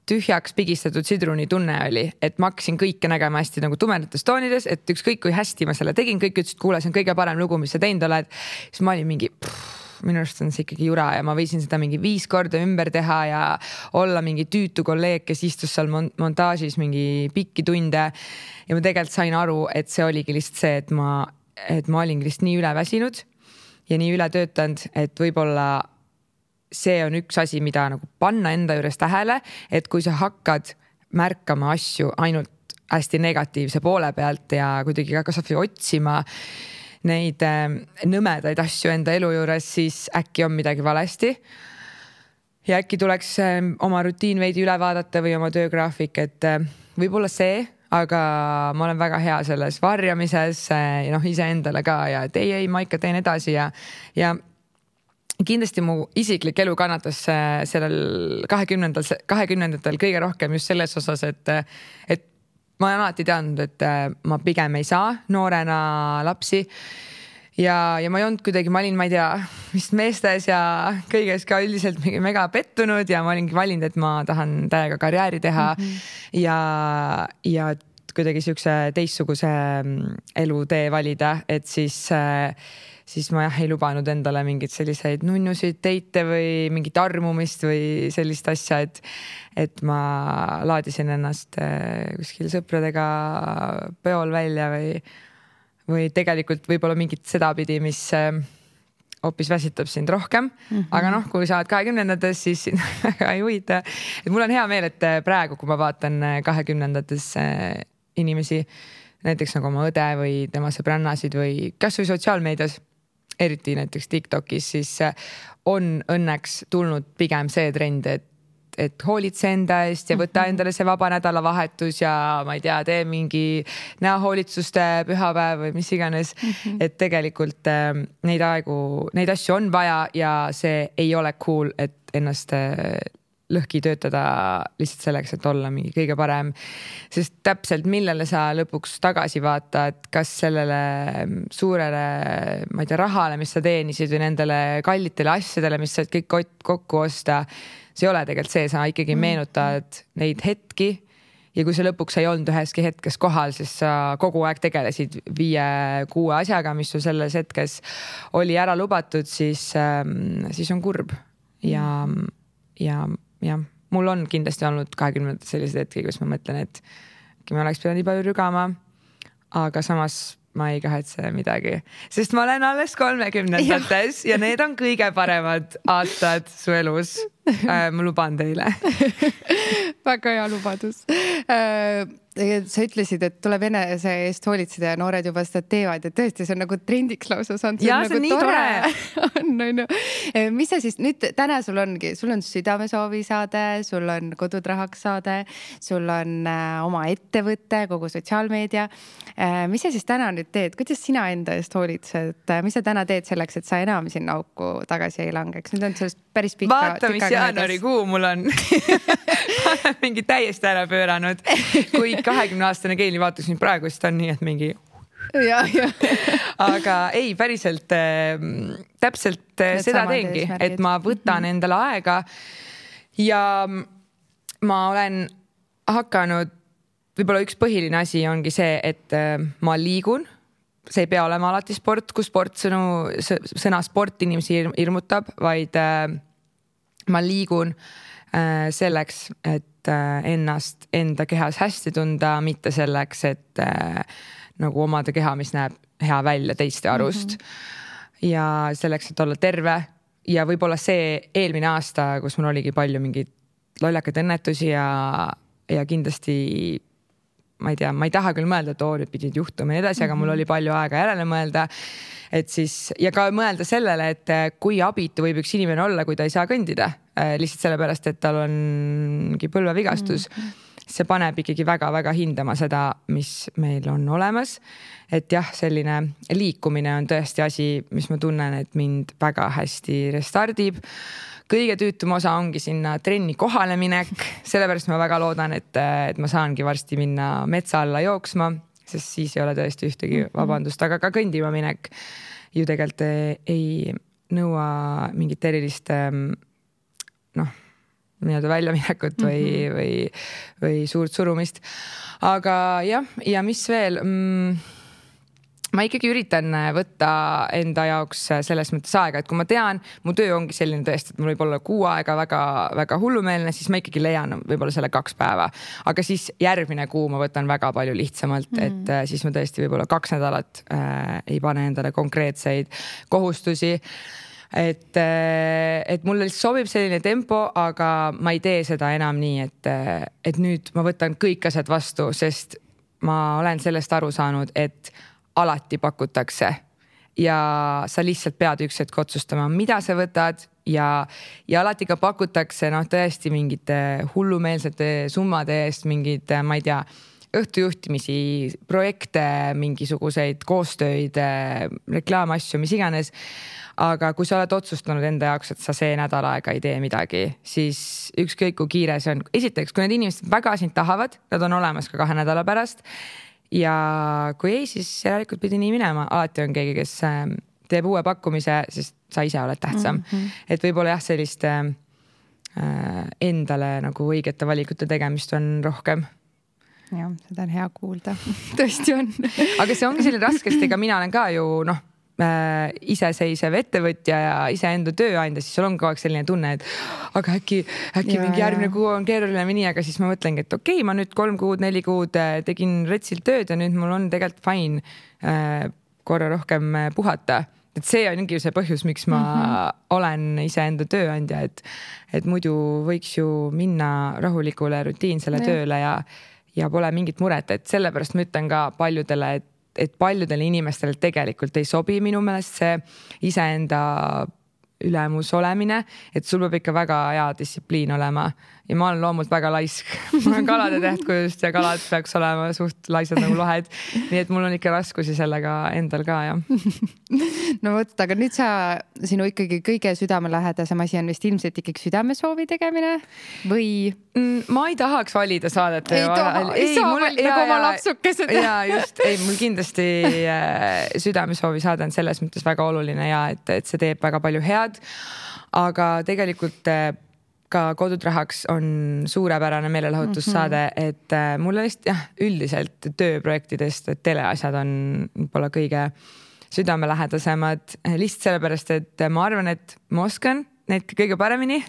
tühjaks pigistatud sidruni tunne oli, et ma hakkasin kõike nägema hästi nagu tumedates toonides, et ükskõik kui hästi ma selle tegin, kõik ütlesid, kuule, see on kõige parem lugu, mis sa teinud oled. Siis ma olin mingi, minu arust on see ikkagi jura ja ma võisin seda mingi 5 korda ümber teha ja olla mingi tüütu kolleeg, kes istus seal montaažis mingi pikki tunde. Ja ma tegelikult sain aru, et see oligi lihtsalt see, et ma olin lihtsalt nii üleväsinud ja nii üle töötanud, et võib-olla see on üks asi, mida nagu panna enda juures tähele, et kui sa hakkad märkama asju ainult hästi negatiivse poole pealt ja kuidagi kasvõi otsima neid nõmedaid asju enda elu juures, siis äkki on midagi valesti. Ja äkki tuleks oma rutiin veidi üle vaadata või oma töögraafik, et võib-olla see, aga ma olen väga hea selles varjamises ja ise endale ka ja et ei, ma ikka teen edasi ja kindlasti mu isiklik elu kannatas sellel 20-ndatel kõige rohkem just selles osas, et ma olen alati teadnud, et ma pigem ei saa noorena lapsi ja ma ei olnud kuidagi, ma olin, ma ei tea, vist meestes ja kõiges ka üldiselt mega pettunud ja ma olingi valinud, et ma tahan täiega karjääri teha ja kuidagi siukse teistsuguse elutee valida, et siis ma ei lubanud endale mingit selliseid nunnusid teite või mingit armumist või sellist asja, et ma laadisin ennast kuskil sõpradega peol välja või tegelikult võib-olla mingit sedapidi, mis hoopis väsitab sind rohkem. Aga kui sa oled 20-ndates, siis väga ei huvita. Et mul on hea meel, et praegu, kui ma vaatan 20-ndates inimesi, näiteks nagu oma õde või tema sõbrannasid või kas või sotsiaalmeedias, eriti näiteks TikTokis, siis on õnneks tulnud pigem see trend, et hoolitse enda eest ja võta endale see vaba nädalavahetus ja ma ei tea, tee mingi näohoolitsuste pühapäev või mis iganes. Et tegelikult neid asju on vaja ja see ei ole cool, et ennast lõhki töötada lihtsalt selleks, et olla mingi kõige parem. Sest täpselt millele sa lõpuks tagasi vaatad, kas sellele suurele, ma ei tea, rahale, mis sa teenisid või nendele kallitele asjadele, mis saad kõik kokku osta. See ei ole tegelikult see, sa ikkagi meenutad neid hetki ja kui sa lõpuks ei olnud üheski hetkes kohal, siis sa kogu aeg tegelesid 5-6 asjaga, mis sul selles hetkes oli ära lubatud, siis on kurb ja mul on kindlasti olnud 20 sellised hetki, kus ma mõtlen, et ma oleks pidanud nii palju rügama, aga samas ma ei kahetse midagi, sest ma olen alles 30-ndates ja need on kõige paremad aastad su elus. Ma luban teile. Väga hea lubadus. Sa ütlesid, et tuleb enese eest hoolitseda ja noored juba seda teevad ja tõesti, see on nagu trendiks lausa saanud. Ja see on nii tore. Mis sa siis nüüd täna sul on südamesoovi saade, sul on kodutrahaks saade, sul on oma ettevõte, kogu sotsiaalmeedia. Mis sa siis täna nüüd teed? Kuidas sina enda eest hoolitsed? Mis sa täna teed selleks, et sa enam sinna auku tagasi ei langeks? Nüüd on sellest päris pikka. Vaata, mis jaanuarikuu mul on. Mingi täiesti ära pööranud. Kui 20-aastane Keili vaatas mind praegu, siis ta on nii, et mingi... Aga ei, päriselt täpselt seda teengi, et ma võtan endale aega ja ma olen hakanud, võib-olla üks põhiline asi ongi see, et ma liigun. See ei pea olema alati sport, kui sõna sport inimesi hirmutab, vaid ma liigun selleks, et ennast enda kehas hästi tunda, mitte selleks, et nagu omada keha, mis näeb hea välja teiste arust ja selleks, et olla terve ja võib-olla see eelmine aasta, kus mul oligi palju mingeid lollakaid õnnetusi ja kindlasti ma ei tea, ma ei taha küll mõelda, et nüüd pidid juhtuma ja edasi, aga mul oli palju aega järele mõelda, et siis ja ka mõelda sellele, et kui abitu võib üks inimene olla, kui ta ei saa kõndida, lihtsalt sellepärast, et tal on mingi põlvevigastus. See paneb ikkagi väga-väga hindama seda, mis meil on olemas. Et jah, selline liikumine on tõesti asi, mis ma tunnen, et mind väga hästi restardib. Kõige tüütum osa ongi sinna trenni kohale minek, sellepärast ma väga loodan, et ma saangi varsti minna metsa alla jooksma, sest siis ei ole tõesti ühtegi vabandust, aga ka kõndima minek ju tegelikult ei nõua mingit erilist nii-öelda väljaminekut või suurt surumist. Aga jah, ja mis veel... Ma ikkagi üritan võtta enda jaoks selles mõttes aega, et kui ma tean, mu töö ongi selline tõesti, et mul võib olla 6 aega väga hullumeelne, siis ma ikkagi leian võib-olla selle 2 päeva. Aga siis järgmine kuu ma võtan väga palju lihtsamalt, et siis ma tõesti võib-olla 2 nädalat ei pane endale konkreetseid kohustusi. Et mulle lihtsalt sobib selline tempo, aga ma ei tee seda enam nii, et nüüd ma võtan kõik asjad vastu, sest ma olen sellest aru saanud, et alati pakutakse ja sa lihtsalt pead üks hetk otsustama, mida sa võtad ja alati ka pakutakse tõesti mingite hullumeelsete summade eest, mingid, ma ei tea, õhtujuhtimisi, projekte, mingisuguseid koostöid, reklaamasju, mis iganes. Aga kui sa oled otsustanud enda jaoks, et sa see nädal aega ei tee midagi, siis ükskõik kui kiire see on. Esiteks, kui need inimesed väga sind tahavad, nad on olemas ka 2 nädala pärast. Ja kui ei, siis järelikult pidi nii minema. Alati on keegi, kes teeb uue pakkumise, sest sa ise oled tähtsam. Et võib-olla jah, sellist endale nagu õigete valikute tegemist on rohkem. Jah, seda on hea kuulda. Tõesti on. Aga see ongi selline raskesti, ega mina olen ka ju iseseisev ettevõtja ja iseenda tööandja, siis sul on kogu aeg selline tunne, et aga äkki mingi järgmine kuu on keeruline või nii, aga siis ma mõtlengi, et okei, ma nüüd 3 kuud, 4 kuud tegin retsilt tööd ja nüüd mul on tegelikult fine korra rohkem puhata. Et see ongi see põhjus, miks ma olen iseenda tööandja, et muidu võiks ju minna rahulikule rutiinsele tööle ja pole mingit muret, et sellepärast ma ütlen ka paljudele, et paljudele inimestele tegelikult ei sobi minu meelest see iseenda ülemus olemine, et sul peab ikka väga hea distsipliin olema ja ma olen loomult väga laisk. Ma olen kalade tähtkujust ja kalad peaks olema suht laisad nagu lohed. Nii et mul on ikka raskusi sellega endal ka, jah. No võt, aga nüüd sinu ikkagi kõige südamelähedasem asi on vist ilmselt ikkagi südamesoovi tegemine või? Ma ei tahaks valida saadet. Ei saa valida nagu oma lapsukesed. Ja just, mul kindlasti südamesoovi saade on selles mõttes väga oluline ja et see teeb väga palju head. Aga tegelikult ka Kodutrahaks on suurepärane meelelahutussaade, et mulle üldiselt tööprojektidest teleasjad on võib-olla kõige südamelähedasemad lihtsalt sellepärast, et ma arvan, et ma oskan need kõige paremini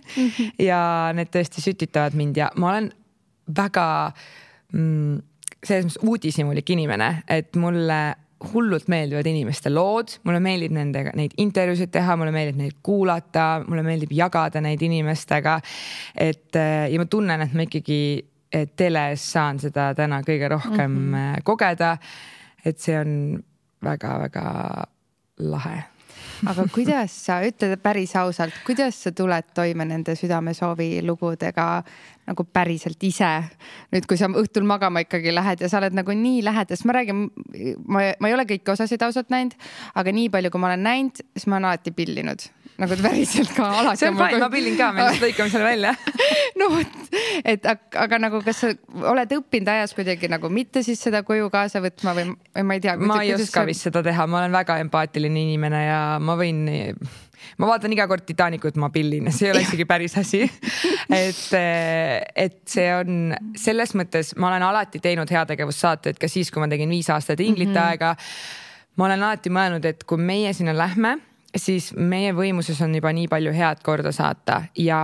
ja need tõesti sütitavad mind ja ma olen väga selles mõttes uudishimulik inimene, et mulle hullult meeldivad inimeste lood, mulle meeldib nendega neid intervjuusid teha, mulle meeldib neid kuulata, mulle meeldib jagada neid inimestega, ja ma tunnen, et ma ikkagi teles saan seda täna kõige rohkem kogeda, et see on väga-väga lahe. Aga kuidas sa, ütled päris ausalt, kuidas sa tuled toime nende südamesoovi lugudega nagu päriselt ise? Nüüd, kui sa õhtul magama ikkagi lähed ja sa oled nagu nii lähedas, ma räägin, ma ei ole kõiki osasid ausalt näinud, aga nii palju, kui ma olen näinud, siis ma olen alati pillinud. Nagu päriselt ka alati. See on fine, ma pillin ka, me lõikame selle välja. No, aga nagu, kas sa oled õppinud ajas kuidagi nagu mitte siis seda koju kaasa võtma või ma ei tea. Ma ei oska vist seda teha, ma olen väga empaatiline inimene ja ma vaatan iga kord Titanicut, ma pillin, see ei ole isegi päris asi. Et see on selles mõttes, ma olen alati teinud heategevussaateid ka siis, kui ma tegin 5 aastat Inglite aega. Ma olen alati mõelnud, et kui meie sinna lähme, siis meie võimuses on juba nii palju head korda saata ja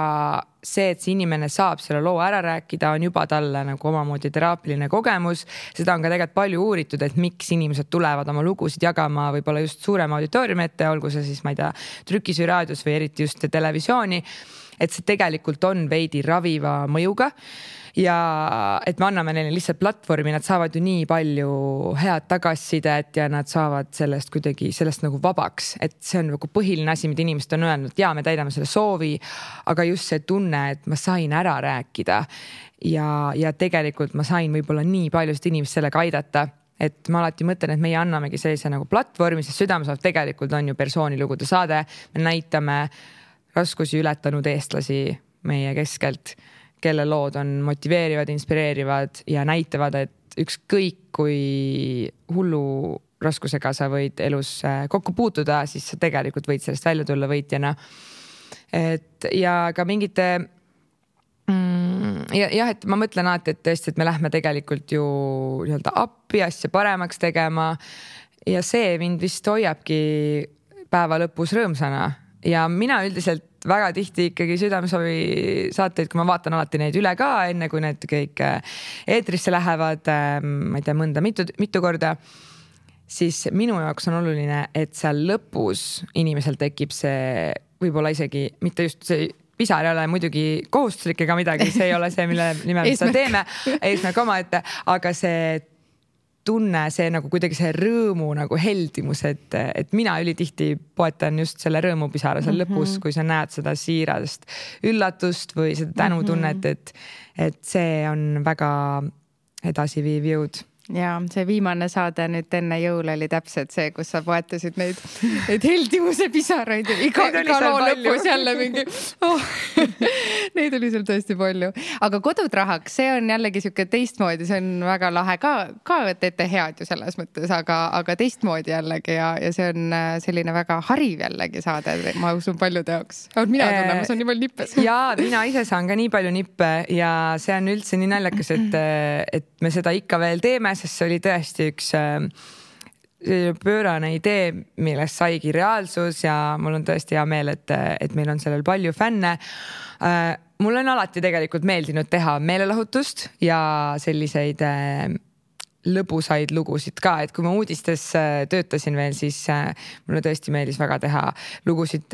see, et see inimene saab selle loo ära rääkida, on juba talle nagu omamoodi teraapiline kogemus. Seda on ka tegelikult palju uuritud, et miks inimesed tulevad oma lugusid jagama võib-olla just suurema auditooriumi ette, olgu see siis, ma ei tea, trükis või raadios või eriti just televisiooni, et see tegelikult on veidi raviva mõjuga. Ja et me anname neile lihtsalt platvormi, nad saavad ju nii palju head tagasisidet ja nad saavad sellest kuidagi sellest nagu vabaks, et see on nagu põhiline asi, mida inimesed on öelnud, ja me täidame selle soovi, aga just see tunne, et ma sain ära rääkida ja tegelikult ma sain võib-olla nii paljust inimest sellega aidata, et ma alati mõtlen, et meie annamegi sellise nagu platvormi, sest Südamesoov tegelikult on ju persoonilugude saade, me näitame raskusi ületanud eestlasi meie keskelt, kelle lood on motiveerivad, inspireerivad ja näitavad, et ükskõik kui hullu raskusega sa võid elus kokku puutuda, siis sa tegelikult võid sellest välja tulla võitjana. Ja ka mingite jah, et ma mõtlen alati, et tõesti, et me lähme tegelikult ju nii-öelda appi asja paremaks tegema ja see mind vist hoiabki päeva lõpus rõõmsana ja mina üldiselt väga tihti ikkagi Südamesovi saateid, kui ma vaatan alati neid üle ka, enne kui need kõik eetrisse lähevad, ma ei tea, mõnda mitu korda, siis minu jaoks on oluline, et seal lõpus inimesel tekib see võib-olla isegi mitte just see pisar ei ole muidugi kohustuslik ega midagi, see ei ole see, mille nimel me seda teeme, eesmärk omaette, aga see tunne, see nagu kuidagi see rõõmu nagu heldimus, et mina ülitihti poetan just selle rõõmupisara seal lõpus, kui sa näed seda siirast üllatust või seda tänutunnet, et see on väga edasiviiv jõud. Ja see viimane saade nüüd enne jõule oli täpselt see, kus sa poetasid neid heldimuse pisaraid ja iga loo lõpus jälle mingi neid oli seal tõesti palju. Aga Kodutrahaks, see on jällegi siuke teistmoodi, see on väga lahe ka teete head ju selles mõttes, aga teistmoodi jällegi ja see on selline väga hariv jällegi saade, ma usun paljude jaoks. Mina tunnen, ma saan nii palju nippes. Ja mina ise saan ka nii palju nippe ja see on üldse nii naljakas, et me seda ikka veel teeme, sest see oli tõesti üks pöörane idee, millest saigi reaalsus ja mul on tõesti hea meel, et meil on sellel palju fänne. Mul on alati tegelikult meeldinud teha meelelahutust ja selliseid lõbusaid lugusid ka, et kui ma uudistes töötasin veel, siis mulle tõesti meeldis väga teha lugusid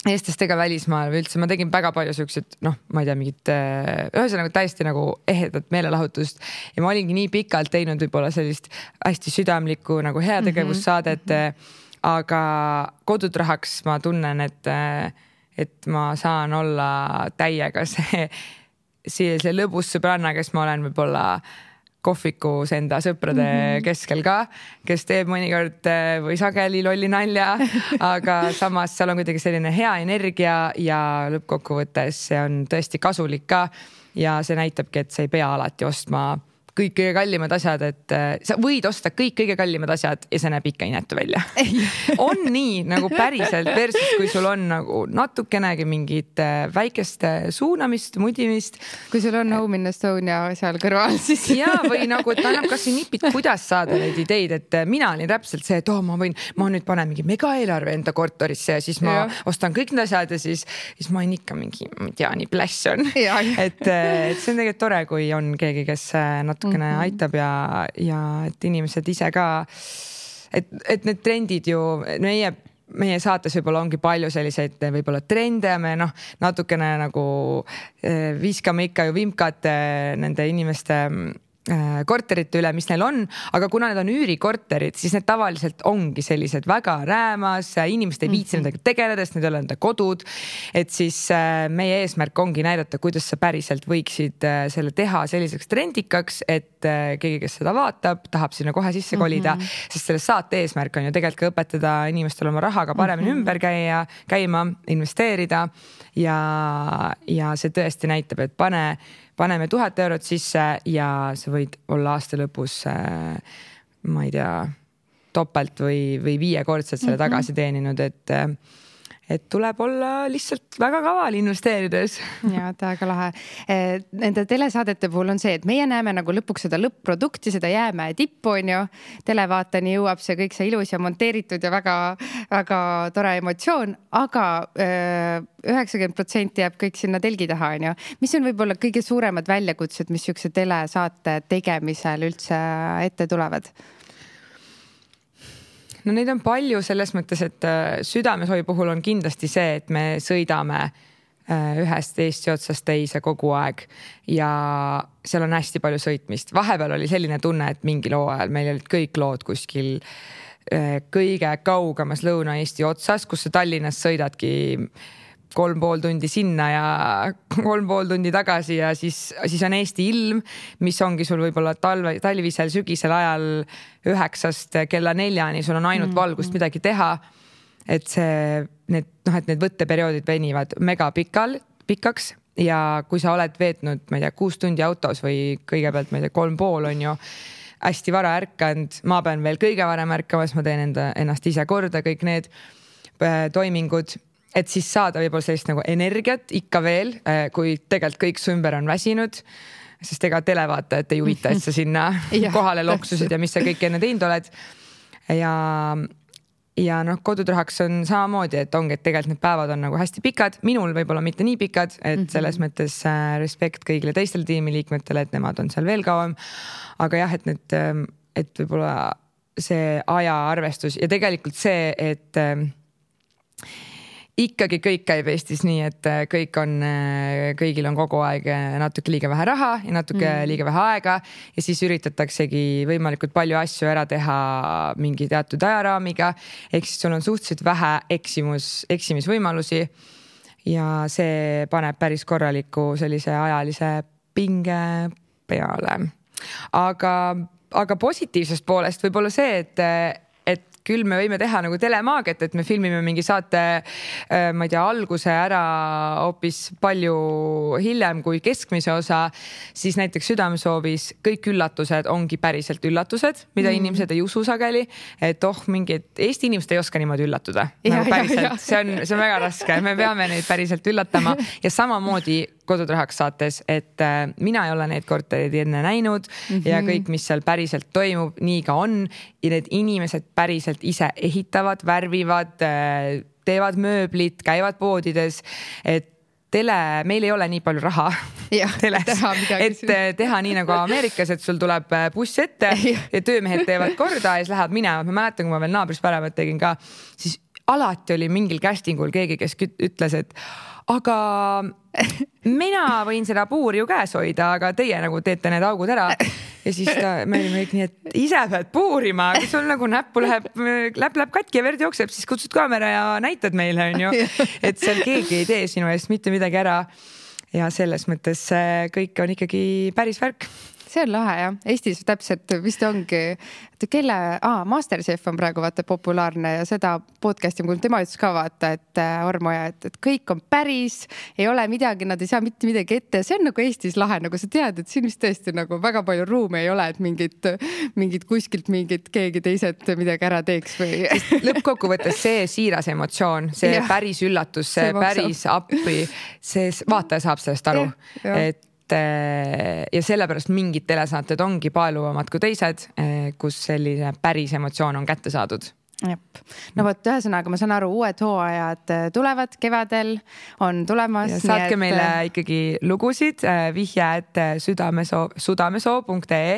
eestlastega välismaal või üldse ma tegin väga palju siuksed, ma ei tea, mingit ühesõnaga täiesti nagu ehedat meelelahutust ja ma olingi nii pikalt teinud võib-olla sellist hästi südamlikku nagu heategevussaadet, aga Kodutrahaks ma tunnen, et ma saan olla täiega see lõbus sõbranna, kes ma olen võib-olla kohvikus enda sõprade keskel ka, kes teeb mõnikord või sageli lolli nalja, aga samas seal on kuidagi selline hea energia ja lõppkokkuvõttes see on tõesti kasulik ka ja see näitabki, et sa ei pea alati ostma kõik kõige kallimad asjad, et sa võid osta kõik kõige kallimad asjad ja see näeb ikka inetu välja. On nii nagu päriselt versus, kui sul on nagu natukenegi mingit väikest suunamist, mudimist. Kui sul on Home in Estonia seal kõrval, siis... Ja, või nagu, et annab kas või nipid, kuidas saada neid ideid, et mina olin täpselt see, et ma nüüd panen mingi mega eelarve enda korterisse ja siis ma ostan kõik need asjad ja siis ma olen ikka mingi, ma ei tea, nii pläss on. Et see on tegelikult tore, kui on keegi, kes natukene aitab ja et inimesed ise ka, et need trendid ju meie saates võib-olla ongi palju selliseid võib-olla trende ja me natukene nagu viskame ikka ju vimkat nende inimeste korterite üle, mis neil on, aga kuna need on üürikorterid, siis need tavaliselt ongi sellised väga räämas, inimesed ei viitsi nendega tegeleda, sest need ei ole nende kodud, et siis meie eesmärk ongi näidata, kuidas sa päriselt võiksid selle teha selliseks trendikaks, et keegi, kes seda vaatab, tahab sinna kohe sisse kolida, sest selle saate eesmärk on ju tegelikult ka õpetada inimestel oma rahaga paremini ümber käima, investeerida ja see tõesti näitab, et paneme 1000 eurot sisse ja sa võid olla aasta lõpus, ma ei tea, topelt või 5-kordselt selle tagasi teeninud, et tuleb olla lihtsalt väga kaval investeerides. Ja, väga lahe. Nende telesaadete puhul on see, et meie näeme nagu lõpuks seda lõpp-produkti, seda jäämäe tippu on ju. Televaatani jõuab see kõik see ilus ja monteeritud ja väga, väga tore emotsioon, aga 90% jääb kõik sinna telgi taha on ju. Mis on võib-olla kõige suuremad väljakutsed, mis siukse telesaate tegemisel üldse ette tulevad? No neid on palju selles mõttes, et Südamesovi puhul on kindlasti see, et me sõidame ühest Eesti otsast teise kogu aeg ja seal on hästi palju sõitmist. Vahepeal oli selline tunne, et mingi loo ajal meil olid kõik lood kuskil kõige kaugemas Lõuna-Eesti otsas, kus sa Tallinnas sõidadki 3,5 tundi sinna ja 3,5 tundi tagasi ja siis on Eesti ilm, mis ongi sul võib-olla talvisel, sügisel ajal 9 kella 4, sul on ainult valgust midagi teha. Et need võtteperioodid venivad mega pikaks ja kui sa oled veetnud, ma ei tea, 6 tundi autos või kõigepealt, ma ei tea, 3,5 on ju hästi vara ärkanud, ma pean veel kõige varem ärkama, siis ma teen ennast ise korda kõik need toimingud et siis saada võib-olla sellist nagu energiat ikka veel, kui tegelikult kõik su ümber on väsinud, sest ega televaatajat ei huvita, et sa sinna kohale loksusid ja mis sa kõik enne teinud oled. Ja noh, Kodutrahaks on samamoodi, et ongi, et tegelikult need päevad on nagu hästi pikad, minul võib-olla mitte nii pikad, et selles mõttes respekt kõigile teistele tiimiliikmetele, et nemad on seal veel kauem. Aga jah, et võib-olla see ajaarvestus ja tegelikult see, et ikkagi kõik käib Eestis nii, et kõigil on kogu aeg natuke liiga vähe raha ja natuke liiga vähe aega ja siis üritataksegi võimalikult palju asju ära teha mingi teatud ajaraamiga. Ehk siis sul on suhteliselt vähe eksimisvõimalusi ja see paneb päris korraliku sellise ajalise pinge peale. Aga positiivsest poolest võib-olla see, et küll me võime teha nagu telemaagiat, et me filmime mingi saate, ma ei tea, alguse ära hoopis palju hiljem kui keskmise osa, siis näiteks Südamesoovis kõik üllatused ongi päriselt üllatused, mida inimesed ei usu sageli, et mingid Eesti inimesed ei oska niimoodi üllatuda. See on väga raske, me peame neid päriselt üllatama ja samamoodi Kodutrahaks saates, et mina ei ole neid korterid enne näinud ja kõik, mis seal päriselt toimub, nii ka on ja need inimesed päriselt ise ehitavad, värvivad, teevad mööblit, käivad poodides, et meil ei ole nii palju raha teles, et teha nii nagu Ameerikas, et sul tuleb buss ette ja töömehed teevad korda ja siis lähevad minema. Ma mäletan, kui ma veel naabris pärevat tegin ka, siis alati oli mingil castingul keegi, kes ütles, et aga mina võin seda puuri ju käes hoida, aga teie nagu teete need augud ära. Ja siis me olime kõik nii, et ise pead puurima, kui sul nagu näppu läheb katki ja verd jookseb, siis kutsud kaamera ja näitad meile, on ju. Et seal keegi ei tee sinu eest mitte midagi ära. Ja selles mõttes kõik on ikkagi päris värk. See on lahe, jah. Eestis täpselt vist ongi, Masterchef on praegu vaata populaarne ja seda podcasti, kui tema ütles ka vaata, et Ormoja, et kõik on päris, ei ole midagi, nad ei saa mitte midagi ette. See on nagu Eestis lahe, nagu sa tead, et siin vist tõesti nagu väga palju ruumi ei ole, et mingid kuskilt keegi teised midagi ära teeks või. Lõppkokkuvõttes see siiras emotsioon, see päris üllatus, see päris appi, see vaataja saab sellest aru, ja sellepärast mingid telesaated ongi paeluvamad kui teised, kus selline päris emotsioon on kätte saadud. No võt, ühesõnaga, ma saan aru, uued hooajad tulevad kevadel, on tulemas. Ja saatke meile ikkagi lugusid, vihje, et sudamesoo.ee.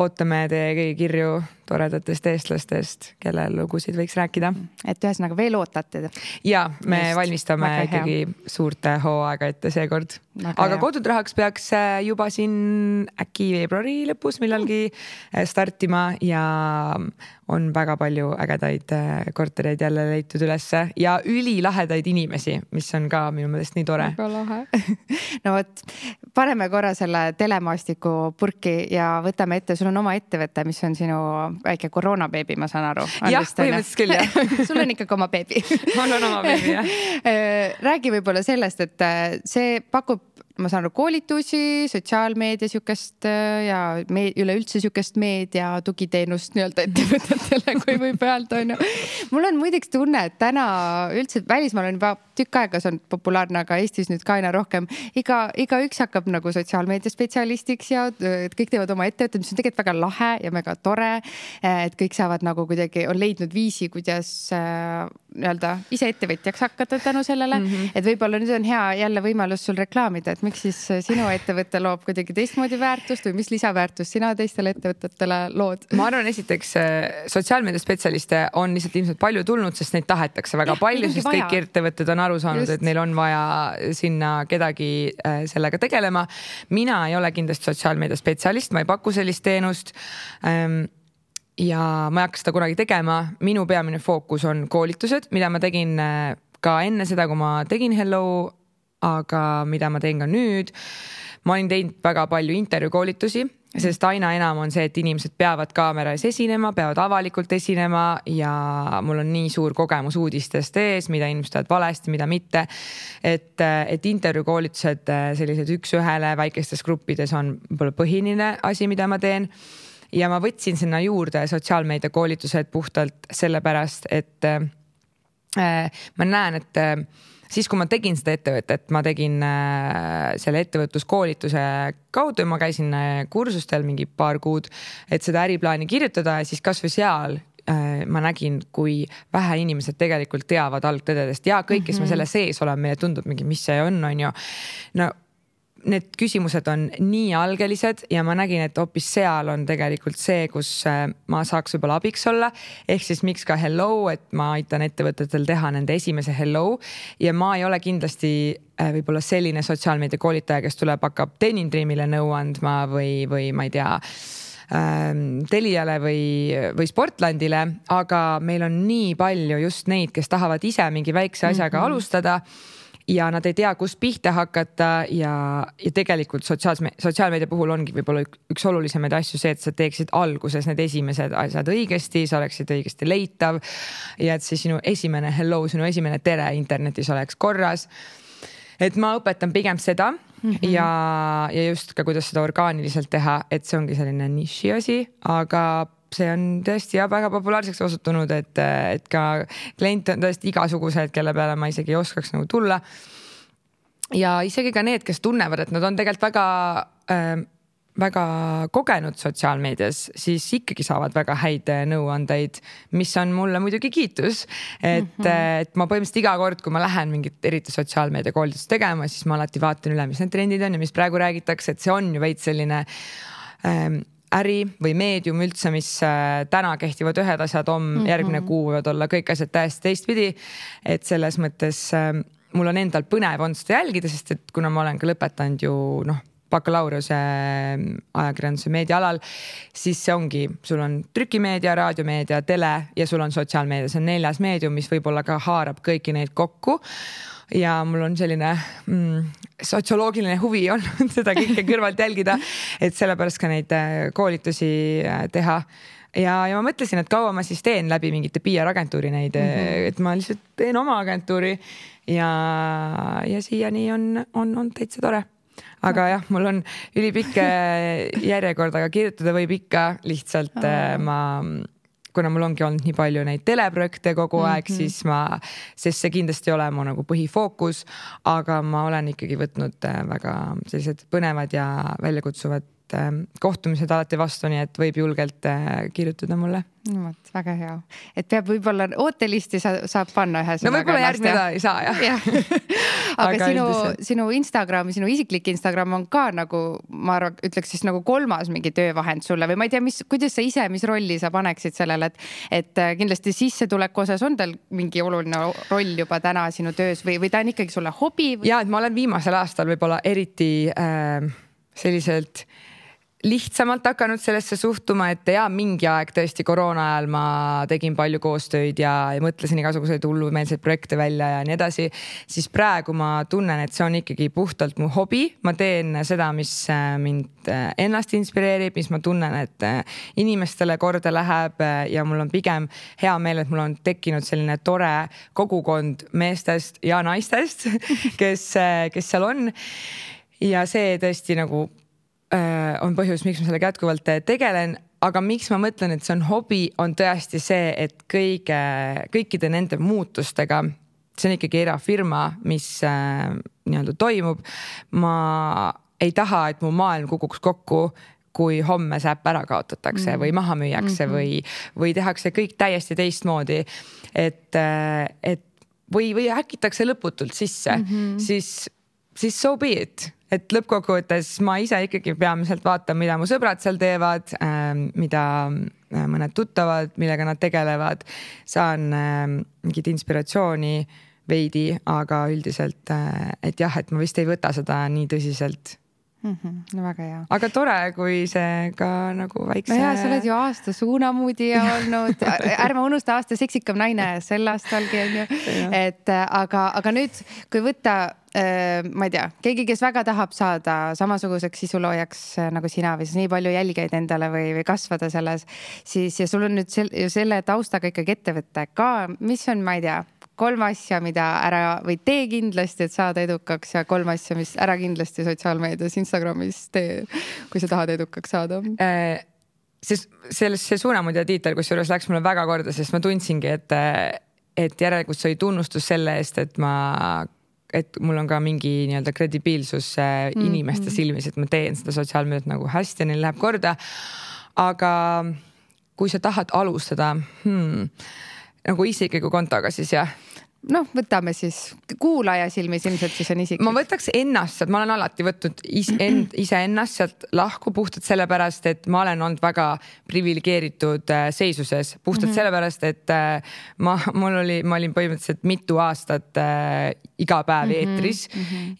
Ootame teie kõigi kirju toredatest eestlastest, kelle lugusid võiks rääkida. Et ühesõnaga veel ootate. Ja me valmistame ikkagi suurte hooaega ette seekord. Aga Kodutrahaks peaks juba siin äkki veebruari lõpus millalgi startima ja on väga palju ägedaid kortereid jälle leitud ülesse ja ülilahedaid inimesi, mis on ka minu meelest nii tore. Väga lahe. No võt, paneme korra selle telemaastiku purki ja võtame ette, sul on oma ettevõte, mis on sinu väike koroonabeebi, ma saan aru. Jah, põhimõtteliselt küll, jah. Sul on ikkagi oma beebi. Mul on oma beebi, jah. Räägi võib-olla sellest, et see pakub, ma saan aru, koolitusi, sotsiaalmeedia sükest ja üleüldse sükest meedia tugiteenust nii-öelda ettevõtetele, kui võib öelda. Mul on muideks tunne, et täna üldse välismaal on juba tükk aega, see on populaarne, aga Eestis nüüd ka aina rohkem. Iga üks hakkab nagu sotsiaalmeedia spetsialistiks ja kõik teevad oma ettevõtted, mis on tegelikult väga lahe ja väga tore, et kõik saavad nagu kuidagi, on leidnud viisi, kuidas nii-öelda ise ettevõtjaks hakata tänu sellele, et võib-olla nüüd on hea jälle võimalus sul reklaamida, et miks siis sinu ettevõte loob kuidagi teistmoodi väärtust või mis lisaväärtust sina teistele ettevõtetele lood? Ma arvan, esiteks sotsiaalmeedia spetsialiste on lihtsalt ilmselt palju tulnud, sest neid tahetakse väga palju, sest kõik ettevõtted on aru saanud, et neil on vaja sinna kedagi sellega tegelema. Mina ei ole kindlasti sotsiaalmeedia spetsialist, ma ei paku sellist teenust ja ma ei hakka seda kunagi tegema. Minu peamine fookus on koolitused, mida ma tegin ka enne seda, kui ma tegin Hello, aga mida ma teen ka nüüd. Ma olin teinud väga palju intervjuukoolitusi, sest aina enam on see, et inimesed peavad kaamera ees esinema, peavad avalikult esinema ja mul on nii suur kogemus uudistest ees, mida inimesed teevad valesti, mida mitte. Et intervjuukoolitused sellised üks-ühele väikestes gruppides on põhiline asi, mida ma teen. Ja ma võtsin sinna juurde sotsiaalmeedia koolitused puhtalt sellepärast, et ma näen, et siis kui ma tegin seda ettevõtet, ma tegin selle ettevõtluskoolituse kaudu ja ma käisin kursustel mingi paar kuud, et seda äriplaani kirjutada ja siis kas või seal ma nägin, kui vähe inimesed tegelikult teavad algtõdedest ja kõik, kes me selle sees oleme, meile tundub mingi, mis see on ju. No need küsimused on nii algelised ja ma nägin, et hoopis seal on tegelikult see, kus ma saaks võib-olla abiks olla. Ehk siis miks ka hello, et ma aitan ettevõtetel teha nende esimese hello ja ma ei ole kindlasti võib-olla selline sotsiaalmeedia koolitaja, kes tuleb, hakkab Denim Dreamile nõu andma või ma ei tea, Teliale või Sportlandile, aga meil on nii palju just neid, kes tahavad ise mingi väikse asjaga alustada ja nad ei tea, kust pihta hakata ja tegelikult sotsiaalmeedia puhul ongi võib-olla üks olulisemaid asju see, et sa teeksid alguses need esimesed asjad õigesti, sa oleksid õigesti leitav ja et see sinu esimene hello, sinu esimene tere internetis oleks korras. Et ma õpetan pigem seda ja just ka, kuidas seda orgaaniliselt teha, et see ongi selline niši asi, aga see on tõesti väga populaarseks osutunud, et ka kliente on tõesti igasugused, kelle peale ma isegi ei oskaks nagu tulla. Ja isegi ka need, kes tunnevad, et nad on tegelikult väga kogenud sotsiaalmeedias, siis ikkagi saavad väga häid nõuandeid, mis on mulle muidugi kiitus. Et ma põhimõtteliselt iga kord, kui ma lähen mingit eriti sotsiaalmeedia koolitust tegema, siis ma alati vaatan üle, mis need trendid on ja mis praegu räägitakse, et see on ju veits selline äri või meedium üldse, mis täna kehtivad ühed asjad, järgmine kuu võivad olla kõik asjad täiesti teistpidi. Et selles mõttes mul on endal põnev on seda jälgida, sest et kuna ma olen ka lõpetanud ju bakalaureuse ajakirjanduse meediaalal, siis see ongi, sul on trükimeedia, raadiomeedia, tele ja sul on sotsiaalmeedia. See on 4 meedium, mis võib-olla ka haarab kõiki neid kokku. Ja mul on selline sotsioloogiline huvi on seda kõike kõrvalt jälgida, et sellepärast ka neid koolitusi teha. Ja ma mõtlesin, et kaua ma siis teen läbi mingite PR-agentuuri neid, et ma lihtsalt teen oma agentuuri ja siiani on täitsa tore. Aga jah, mul on ülipikk järjekord, aga kirjutada võib ikka lihtsalt kuna mul ongi olnud nii palju neid teleprojekte kogu aeg, siis sest see kindlasti ei ole mu nagu põhifookus, aga ma olen ikkagi võtnud väga sellised põnevad ja väljakutsuvad kohtumised alati vastu, nii et võib julgelt kirjutada mulle. No, väga hea. Et peab võib-olla ootelisti saab panna ühe sõnaga. No võib-olla järgmine ei saa, jah. Aga sinu Instagram, sinu isiklik Instagram on ka nagu, ma ütleks siis nagu 3. mingi töövahend sulle või ma ei tea, kuidas sa ise, mis rolli sa paneksid sellele, et kindlasti sissetuleku osas on tal mingi oluline roll juba täna sinu töös või ta on ikkagi sulle hobi? Ja, et ma olen viimasel aastal võib-olla eriti selliselt lihtsamalt hakanud sellesse suhtuma, et mingi aeg tõesti koroona ajal ma tegin palju koostööd ja mõtlesin igasuguseid hullumeelseid projekte välja ja nii edasi, siis praegu ma tunnen, et see on ikkagi puhtalt mu hobi. Ma teen seda, mis mind ennast inspireerib, mis ma tunnen, et inimestele korda läheb ja mul on pigem hea meel, et mul on tekkinud selline tore kogukond meestest ja naistest, kes seal on. Ja see tõesti nagu on põhjus, miks ma sellega jätkuvalt tegelen, aga miks ma mõtlen, et see on hobi, on tõesti see, et kõikide nende muutustega, see on ikkagi erafirma, mis nii-öelda toimub. Ma ei taha, et mu maailm kukuks kokku, kui homme see äpp ära kaotatakse või maha müüakse või tehakse kõik täiesti teistmoodi, või häkitakse lõputult sisse, siis so be it. Et lõppkokkuvõttes ma ise ikkagi peamiselt vaatan, mida mu sõbrad seal teevad, mida mõned tuttavad, millega nad tegelevad. Saan mingit inspiratsiooni veidi, aga üldiselt, et jah, et ma vist ei võta seda nii tõsiselt. No väga hea. Aga tore, kui see ka nagu väikse... No sa oled ju aasta suunamuudija olnud. Ärme unusta aasta seksikam naine sel aastalgi on ju. Aga nüüd, kui võtta, ma ei tea, keegi, kes väga tahab saada samasuguseks sisuloojaks nagu sina või siis nii palju jälgijaid endale või kasvada selles, siis ja sul on nüüd selle taustaga ikkagi ettevõtte ka, mis on, ma ei tea, 3 asja, mida ära või tee kindlasti, et saada edukaks ja 3 asja, mis ära kindlasti sotsiaalmeedias, Instagramis tee, kui sa tahad edukaks saada. See suunamuudja tiitel, kus juures läks mulle väga korda, sest ma tundsingi, et järelikult see oli tunnustus selle eest, et mul on ka mingi nii-öelda kredibiilsus inimeste silmis, et ma teen seda sotsiaalmeediat nagu hästi ja neil läheb korda. Aga kui sa tahad alustada nagu isikliku kontoga, siis jah. Võtame siis kuulaja silmis, ilmselt siis on isiklik. Ma võtaks ennast sealt, ma olen alati võtnud ise ennast sealt lahku puhtalt sellepärast, et ma olen olnud väga privilegeeritud seisuses. Puhtalt sellepärast, et ma olin põhimõtteliselt mitu aastat iga päev eetris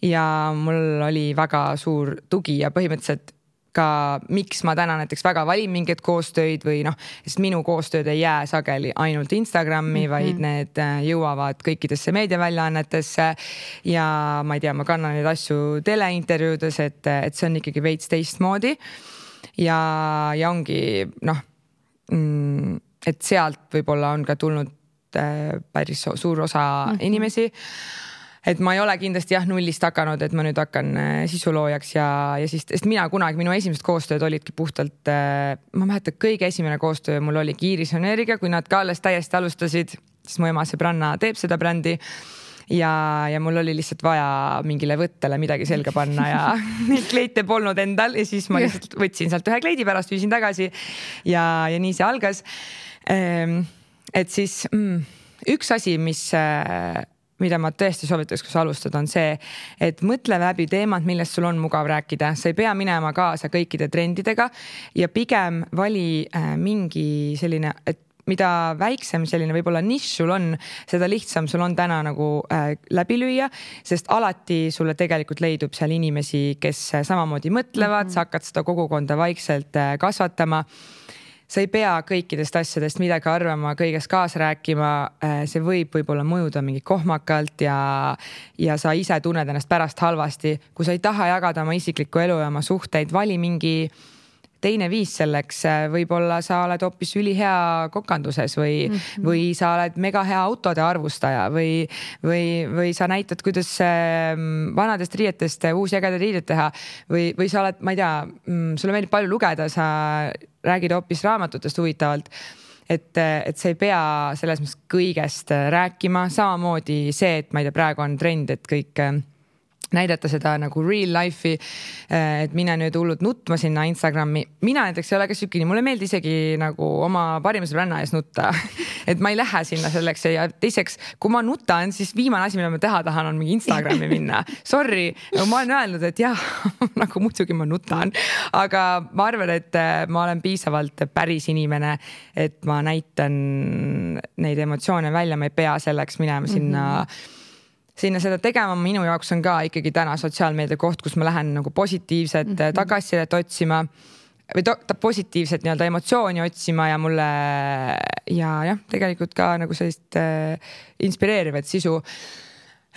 ja mul oli väga suur tugi ja põhimõtteliselt ka miks ma täna näiteks väga valin mingeid koostöid või sest minu koostööd ei jää sageli ainult Instagrami, vaid need jõuavad kõikidesse meediaväljaannetesse ja ma ei tea, ma kannan neid asju teleintervjuudes, et see on ikkagi veits teistmoodi ja ongi et sealt võib-olla on ka tulnud päris suur osa inimesi. Et ma ei ole kindlasti nullist hakanud, et ma nüüd hakkan sisuloojaks ja siis, sest minu esimesed koostööd olidki puhtalt, ma mäletan, kõige esimene koostöö mul oli Iiris Oneriga, kui nad ka alles täiesti alustasid, siis mu ema sõbranna teeb seda brändi ja mul oli lihtsalt vaja mingile võttele midagi selga panna ja neid kleite polnud endal ja siis ma lihtsalt võtsin sealt ühe kleidi pärast, viisin tagasi ja nii see algas. Et siis üks asi, mida ma tõesti soovitaks, kui sa alustad, on see, et mõtle läbi teemad, millest sul on mugav rääkida. Sa ei pea minema kaasa kõikide trendidega ja pigem vali mingi selline, et mida väiksem selline võib-olla nišš sul on, seda lihtsam sul on täna nagu läbi lüüa, sest alati sulle tegelikult leidub seal inimesi, kes samamoodi mõtlevad, sa hakkad seda kogukonda vaikselt kasvatama. Sa ei pea kõikidest asjadest midagi arvama, kõigest kaasa rääkima, see võib-olla mõjuda mingi kohmakalt ja sa ise tunned ennast pärast halvasti. Kui sa ei taha jagada oma isiklikku elu ja oma suhteid, vali mingi teine viis selleks, võib-olla sa oled hoopis ülihea kokanduses või sa oled mega hea autode arvustaja või sa näitad, kuidas vanadest riietest uusi ägedaid riidet teha või sa oled, ma ei tea, sulle meeldib palju lugeda, sa räägid hoopis raamatutest huvitavalt, et sa ei pea selles mõttes kõigest rääkima, samamoodi see, et ma ei tea, praegu on trend, et kõik näidata seda nagu real life'i, et mina nüüd hullud nutma sinna Instagrami. Mina näiteks ei ole ka sükini, mulle meeldi isegi nagu oma parima sõbranna ees nutta, et ma ei lähe sinna selleks ja teiseks, kui ma nutan, siis viimane asi, mida ma teha tahan, on mingi Instagrami minna. Sorry, ma olen öelnud, et jah, nagu muidugi ma nutan, aga ma arvan, et ma olen piisavalt päris inimene, et ma näitan neid emotsioone välja, ma ei pea selleks minema sinna seda tegema. Minu jaoks on ka ikkagi täna sotsiaalmeedia koht, kus ma lähen nagu positiivset tagasisidet otsima või positiivset nii-öelda emotsiooni otsima ja mulle ja tegelikult ka nagu sellist inspireerivat sisu.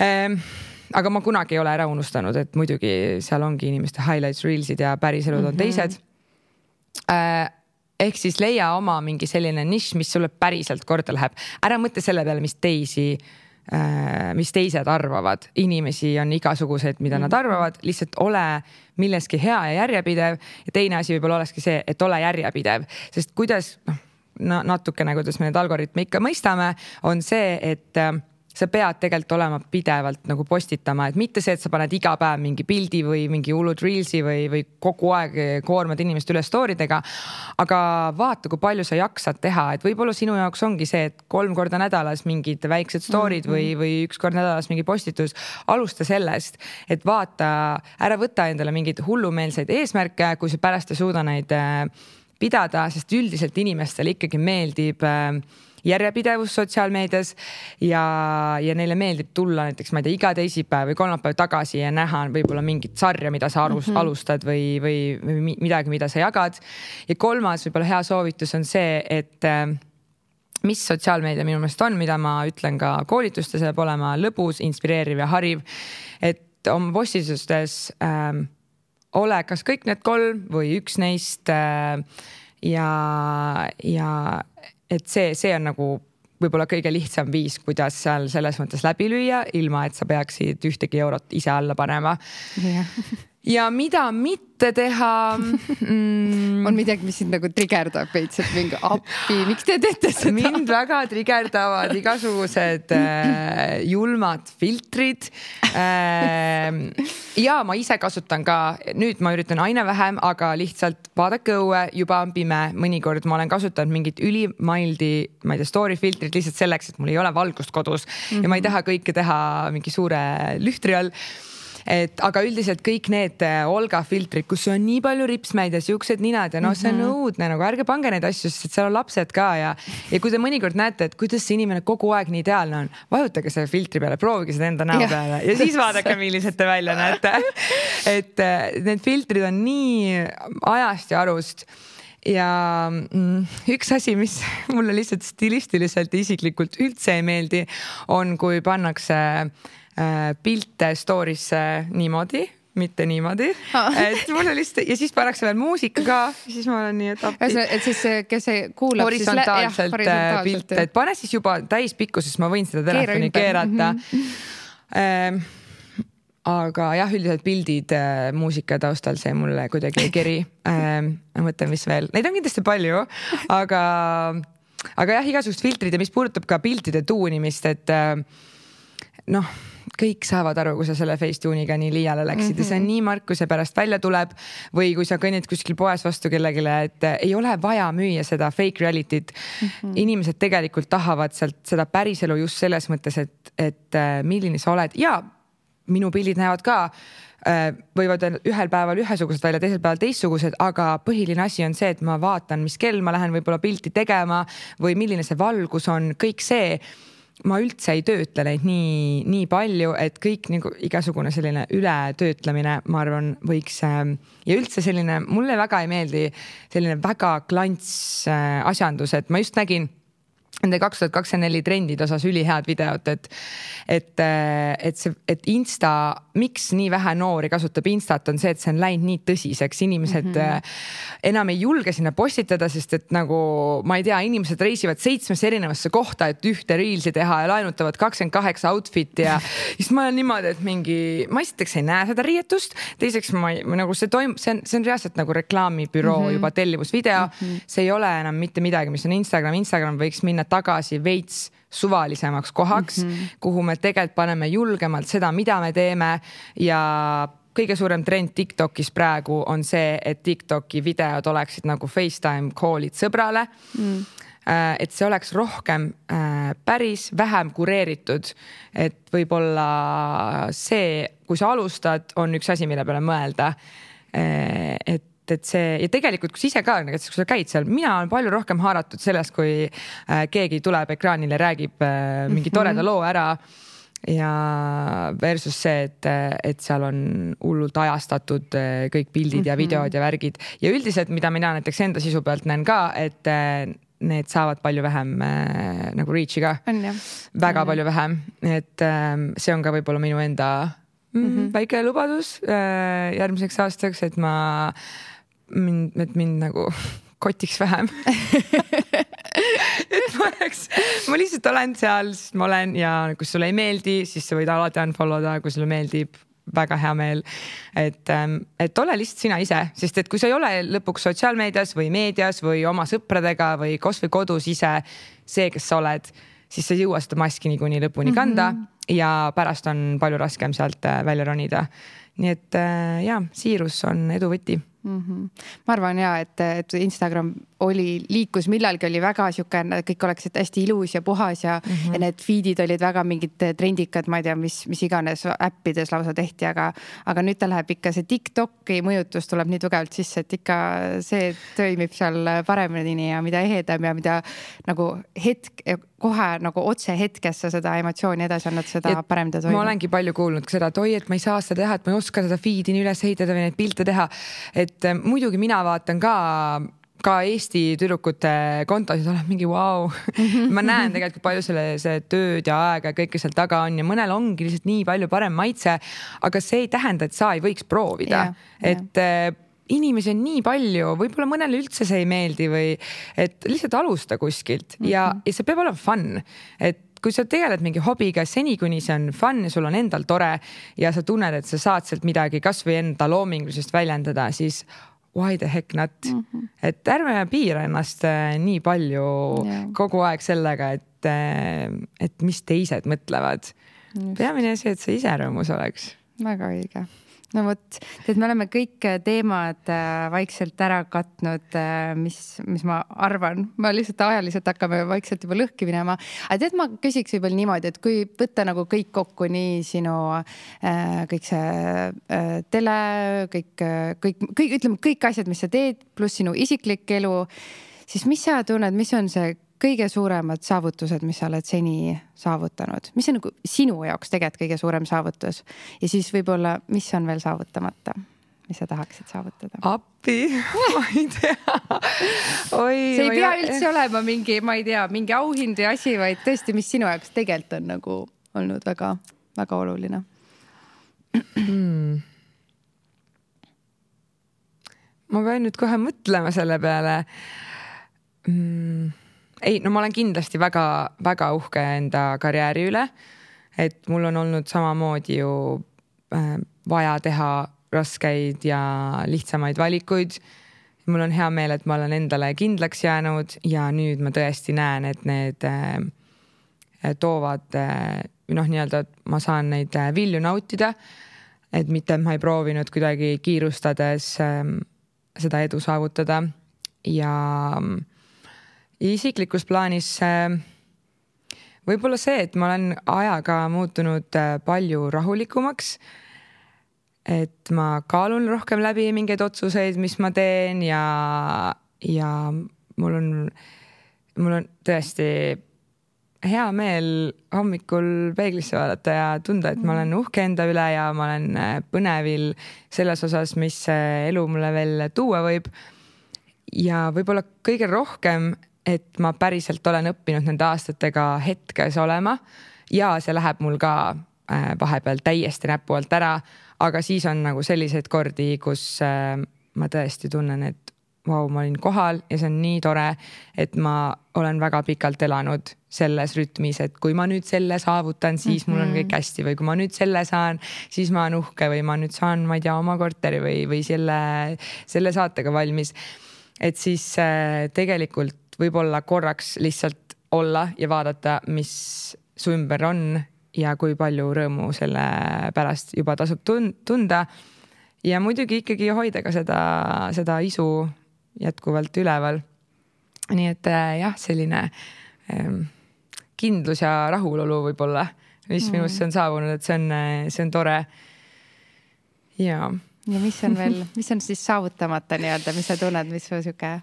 Aga ma kunagi ei ole ära unustanud, et muidugi seal ongi inimeste highlights, reelsid ja päriselud on teised. Ehk siis leia oma mingi selline nišš, mis sulle päriselt korda läheb. Ära mõtle selle peale, mis teised arvavad. Inimesi on igasuguseid, mida nad arvavad, lihtsalt ole milleski hea ja järjepidev ja teine asi võib-olla olekski see, et ole järjepidev, sest kuidas natukene, kuidas me need algoritme ikka mõistame, on see, et sa pead tegelikult olema pidevalt nagu postitama, et mitte see, et sa paned iga päev mingi pildi või mingi hullud reelsi või kogu aeg koormad inimest üle story'dega, aga vaata, kui palju sa jaksad teha, et võib-olla sinu jaoks ongi see, et 3 korda nädalas mingid väiksed story'd või 1 kord nädalas mingi postitus, alusta sellest, et vaata, ära võta endale mingeid hullumeelseid eesmärke, kui sa pärast ei suuda neid pidada, sest üldiselt inimestele ikkagi meeldib järjepidevus sotsiaalmeedias ja neile meeldib tulla näiteks, ma ei tea, iga teisipäev või kolmapäev tagasi ja näha võib-olla mingit sarja, mida sa alustad või midagi, mida sa jagad. Ja kolmas võib-olla hea soovitus on see, et mis sotsiaalmeedia minu meelest on, mida ma ütlen ka koolitustes, peab olema lõbus, inspireeriv ja hariv, et oma postitustes ole kas kõik need 3 või üks neist ja et see on nagu võib-olla kõige lihtsam viis, kuidas seal selles mõttes läbi lüüa, ilma et sa peaksid ühtegi eurot ise alla panema. ja mida mitte teha on midagi, mis sind nagu trigerdab veits, et mingi appi, miks te teete seda? Mind väga trigerdavad igasugused julmad filtrid. Ja ma ise kasutan ka, nüüd ma üritan aina vähem, aga lihtsalt vaadake õue, juba on pime. Mõnikord ma olen kasutanud mingit ülimaildi, ma ei tea, story filtrit lihtsalt selleks, et mul ei ole valgust kodus ja ma ei taha kõike teha mingi suure lühtri all. Aga üldiselt kõik need Olga filtrid, kus on nii palju ripsmeid ja siuksed ninad ja see on õudne, nagu ärge pange neid asju, sest seal on lapsed ka ja kui te mõnikord näete, et kuidas see inimene kogu aeg nii ideaalne on, vajutage selle filtri peale, proovige seda enda näo peale ja siis vaadake, millised te välja näete. Et need filtrid on nii ajast ja arust. Ja üks asi, mis mulle lihtsalt stilistiliselt isiklikult üldse ei meeldi, on kui pannakse pilte story'sse niimoodi, mitte niimoodi. Et mulle lihtsalt, ja siis pannakse veel muusika ka, siis ma olen nii, et appi. Et siis, kes kuulab horisontaalselt pilte, et pane siis juba täispikkuses, ma võin seda telefoni keerata. Aga jah, üldiselt pildid muusika taustal, see mulle kuidagi ei keri. Ma mõtlen, mis veel. Neid on kindlasti palju, aga jah, igasugust filtrid ja mis puudutab ka piltide tuunimist, et kõik saavad aru, kui sa selle Facetune'iga nii liiale läksid ja see on nii mark, kui see pärast välja tuleb või kui sa kõnnid kuskil poes vastu kellegile, et ei ole vaja müüa seda fake reality't. Inimesed tegelikult tahavad sealt seda päriselu just selles mõttes, et milline sa oled ja minu pildid näevad ka, võivad ühel päeval ühesugused välja, teisel päeval teistsugused, aga põhiline asi on see, et ma vaatan, mis kell ma lähen võib-olla pilti tegema või milline see valgus on, kõik see. Ma üldse ei töötle neid nii palju, et kõik nagu igasugune selline ületöötlemine, ma arvan, võiks ja üldse selline, mulle väga ei meeldi selline väga klants asjandus, et ma just nägin nende 2024 trendid osas ülihead videot, et Insta, miks nii vähe noori kasutab Instat, on see, et see on läinud nii tõsiseks. Inimesed enam ei julge sinna postitada, sest et nagu, ma ei tea, inimesed reisivad 7 erinevasse kohta, et ühte reelsi teha ja laenutavad 28 outfit'i ja siis ma olen niimoodi, et ma esiteks ei näe seda riietust, teiseks nagu see on reaalselt nagu reklaamibüroo juba tellimusvideo, see ei ole enam mitte midagi, mis on Instagram võiks minna tagasi veits suvalisemaks kohaks, kuhu me tegelikult paneme julgemalt seda, mida me teeme ja kõige suurem trend TikTokis praegu on see, et TikToki videod oleksid nagu FaceTime call'id sõbrale. Et see oleks rohkem päris vähem kureeritud, et võib-olla see, kui sa alustad, on üks asi, mille peale mõelda, et see ja tegelikult, kui ise ka, kui sa käid seal, mina olen palju rohkem haaratud sellest, kui keegi tuleb ekraanile, räägib mingi toreda loo ära ja versus see, et seal on hullult ajastatud kõik pildid ja videod ja värgid ja üldiselt, mida mina näiteks enda sisu pealt näen ka, et need saavad palju vähem nagu reach'i ka. Väga palju vähem, et see on ka võib-olla minu enda väike lubadus järgmiseks aastaks, et mind nagu kotiks vähem. Et ma lihtsalt olen seal, sest ma olen ja kui sulle ei meeldi, siis sa võid alati unfollow da, kui sulle meeldib, väga hea meel. Et ole lihtsalt sina ise, sest et kui sa ei ole lõpuks sotsiaalmeedias või meedias või oma sõpradega või kas või kodus ise see, kes sa oled, siis sa ei jõua seda maski niikuinii lõpuni kanda ja pärast on palju raskem sealt välja ronida. Nii et siirus on edu võti. Ma arvan et Instagram liikus millalgi oli väga siukene, kõik oleksid hästi ilus ja puhas ja need feedid olid väga mingid trendikad, ma ei tea, mis iganes äppides lausa tehti, aga nüüd ta läheb ikka see TikToki mõjutus tuleb nii tugevalt sisse, et ikka see toimib seal paremini ja mida ehedam ja mida nagu kohe nagu otse hetkesse seda emotsiooni edasi annad, seda parem ta toimib. Ma olengi palju kuulnud seda, et et ma ei saa seda teha, et ma ei oska seda feed'i nii üles ehitada või neid pilte teha, et muidugi mina vaatan ka Eesti tüdrukute kontosid, olen mingi wow. Ma näen tegelikult palju see tööd ja aega ja kõike seal taga on ja mõnel ongi lihtsalt nii palju parem maitse, aga see ei tähenda, et sa ei võiks proovida. Et inimesi on nii palju, võib-olla mõnele üldse see ei meeldi või et lihtsalt alusta kuskilt ja see peab olema fun, et kui sa tegeled mingi hobiga seni, kuni see on fun ja sul on endal tore ja sa tunned, et sa saad sealt midagi kasvõi enda loomingulisest väljendada, siis why the heck not? Et ärme piira ennast nii palju kogu aeg sellega, et mis teised mõtlevad. Peamine see, et sa ise rõõmus oleks. Väga õige. No võt, me oleme kõik teemad vaikselt ära katnud, mis ma arvan, ma lihtsalt ajaliselt hakkame vaikselt juba lõhki minema. Aga ma küsiks võib-olla niimoodi, et kui võtta nagu kõik kokku, nii sinu kõik see tele, kõik asjad, mis sa teed, pluss sinu isiklik elu, siis mis sa tunned, mis on see kõige suuremad saavutused, mis sa oled seni saavutanud? Mis on nagu sinu jaoks tegelikult kõige suurem saavutus? Ja siis võib-olla, mis on veel saavutamata? Mis sa tahaksid saavutada? Appi, ma ei tea. See ei pea üldse olema mingi, ma ei tea, mingi auhind või asi, vaid tõesti, mis sinu jaoks tegelikult on nagu olnud väga, väga oluline. Ma pean nüüd kohe mõtlema selle peale. Ei, no ma olen kindlasti väga, väga uhke enda karjääri üle, et mul on olnud samamoodi ju vaja teha raskeid ja lihtsamaid valikuid. Mul on hea meel, et ma olen endale kindlaks jäänud ja nüüd ma tõesti näen, et need toovad, nii-öelda, et ma saan neid vilju nautida, et mitte ma ei proovinud kuidagi kiirustades seda edu saavutada ja isiklikus plaanis võib-olla see, et ma olen ajaga muutunud palju rahulikumaks, et ma kaalun rohkem läbi mingeid otsuseid, mis ma teen ja mul on tõesti hea meel hommikul peeglisse vaadata ja tunda, et ma olen uhke enda üle ja ma olen põnevil selles osas, mis elu mulle veel tuua võib. Ja võib-olla kõige rohkem, et ma päriselt olen õppinud nende aastatega hetkes olema ja see läheb mul ka vahepeal täiesti näpu alt ära, aga siis on nagu selliseid kordi, kus ma tõesti tunnen, et vau, ma olin kohal ja see on nii tore, et ma olen väga pikalt elanud selles rütmis, et kui ma nüüd selle saavutan, siis mul on kõik hästi või kui ma nüüd selle saan, siis ma olen uhke või ma nüüd saan, ma ei tea, oma korteri või selle saatega valmis. Et siis tegelikult võib-olla korraks lihtsalt olla ja vaadata, mis su ümber on ja kui palju rõõmu selle pärast juba tasub tunda. Ja muidugi ikkagi hoida ka seda isu jätkuvalt üleval. Nii et jah, selline kindlus ja rahulolu võib-olla, mis minusse on saabunud, et see on tore. Ja mis on veel, mis on siis saavutamata nii-öelda, mis sa tunned, mis su siuke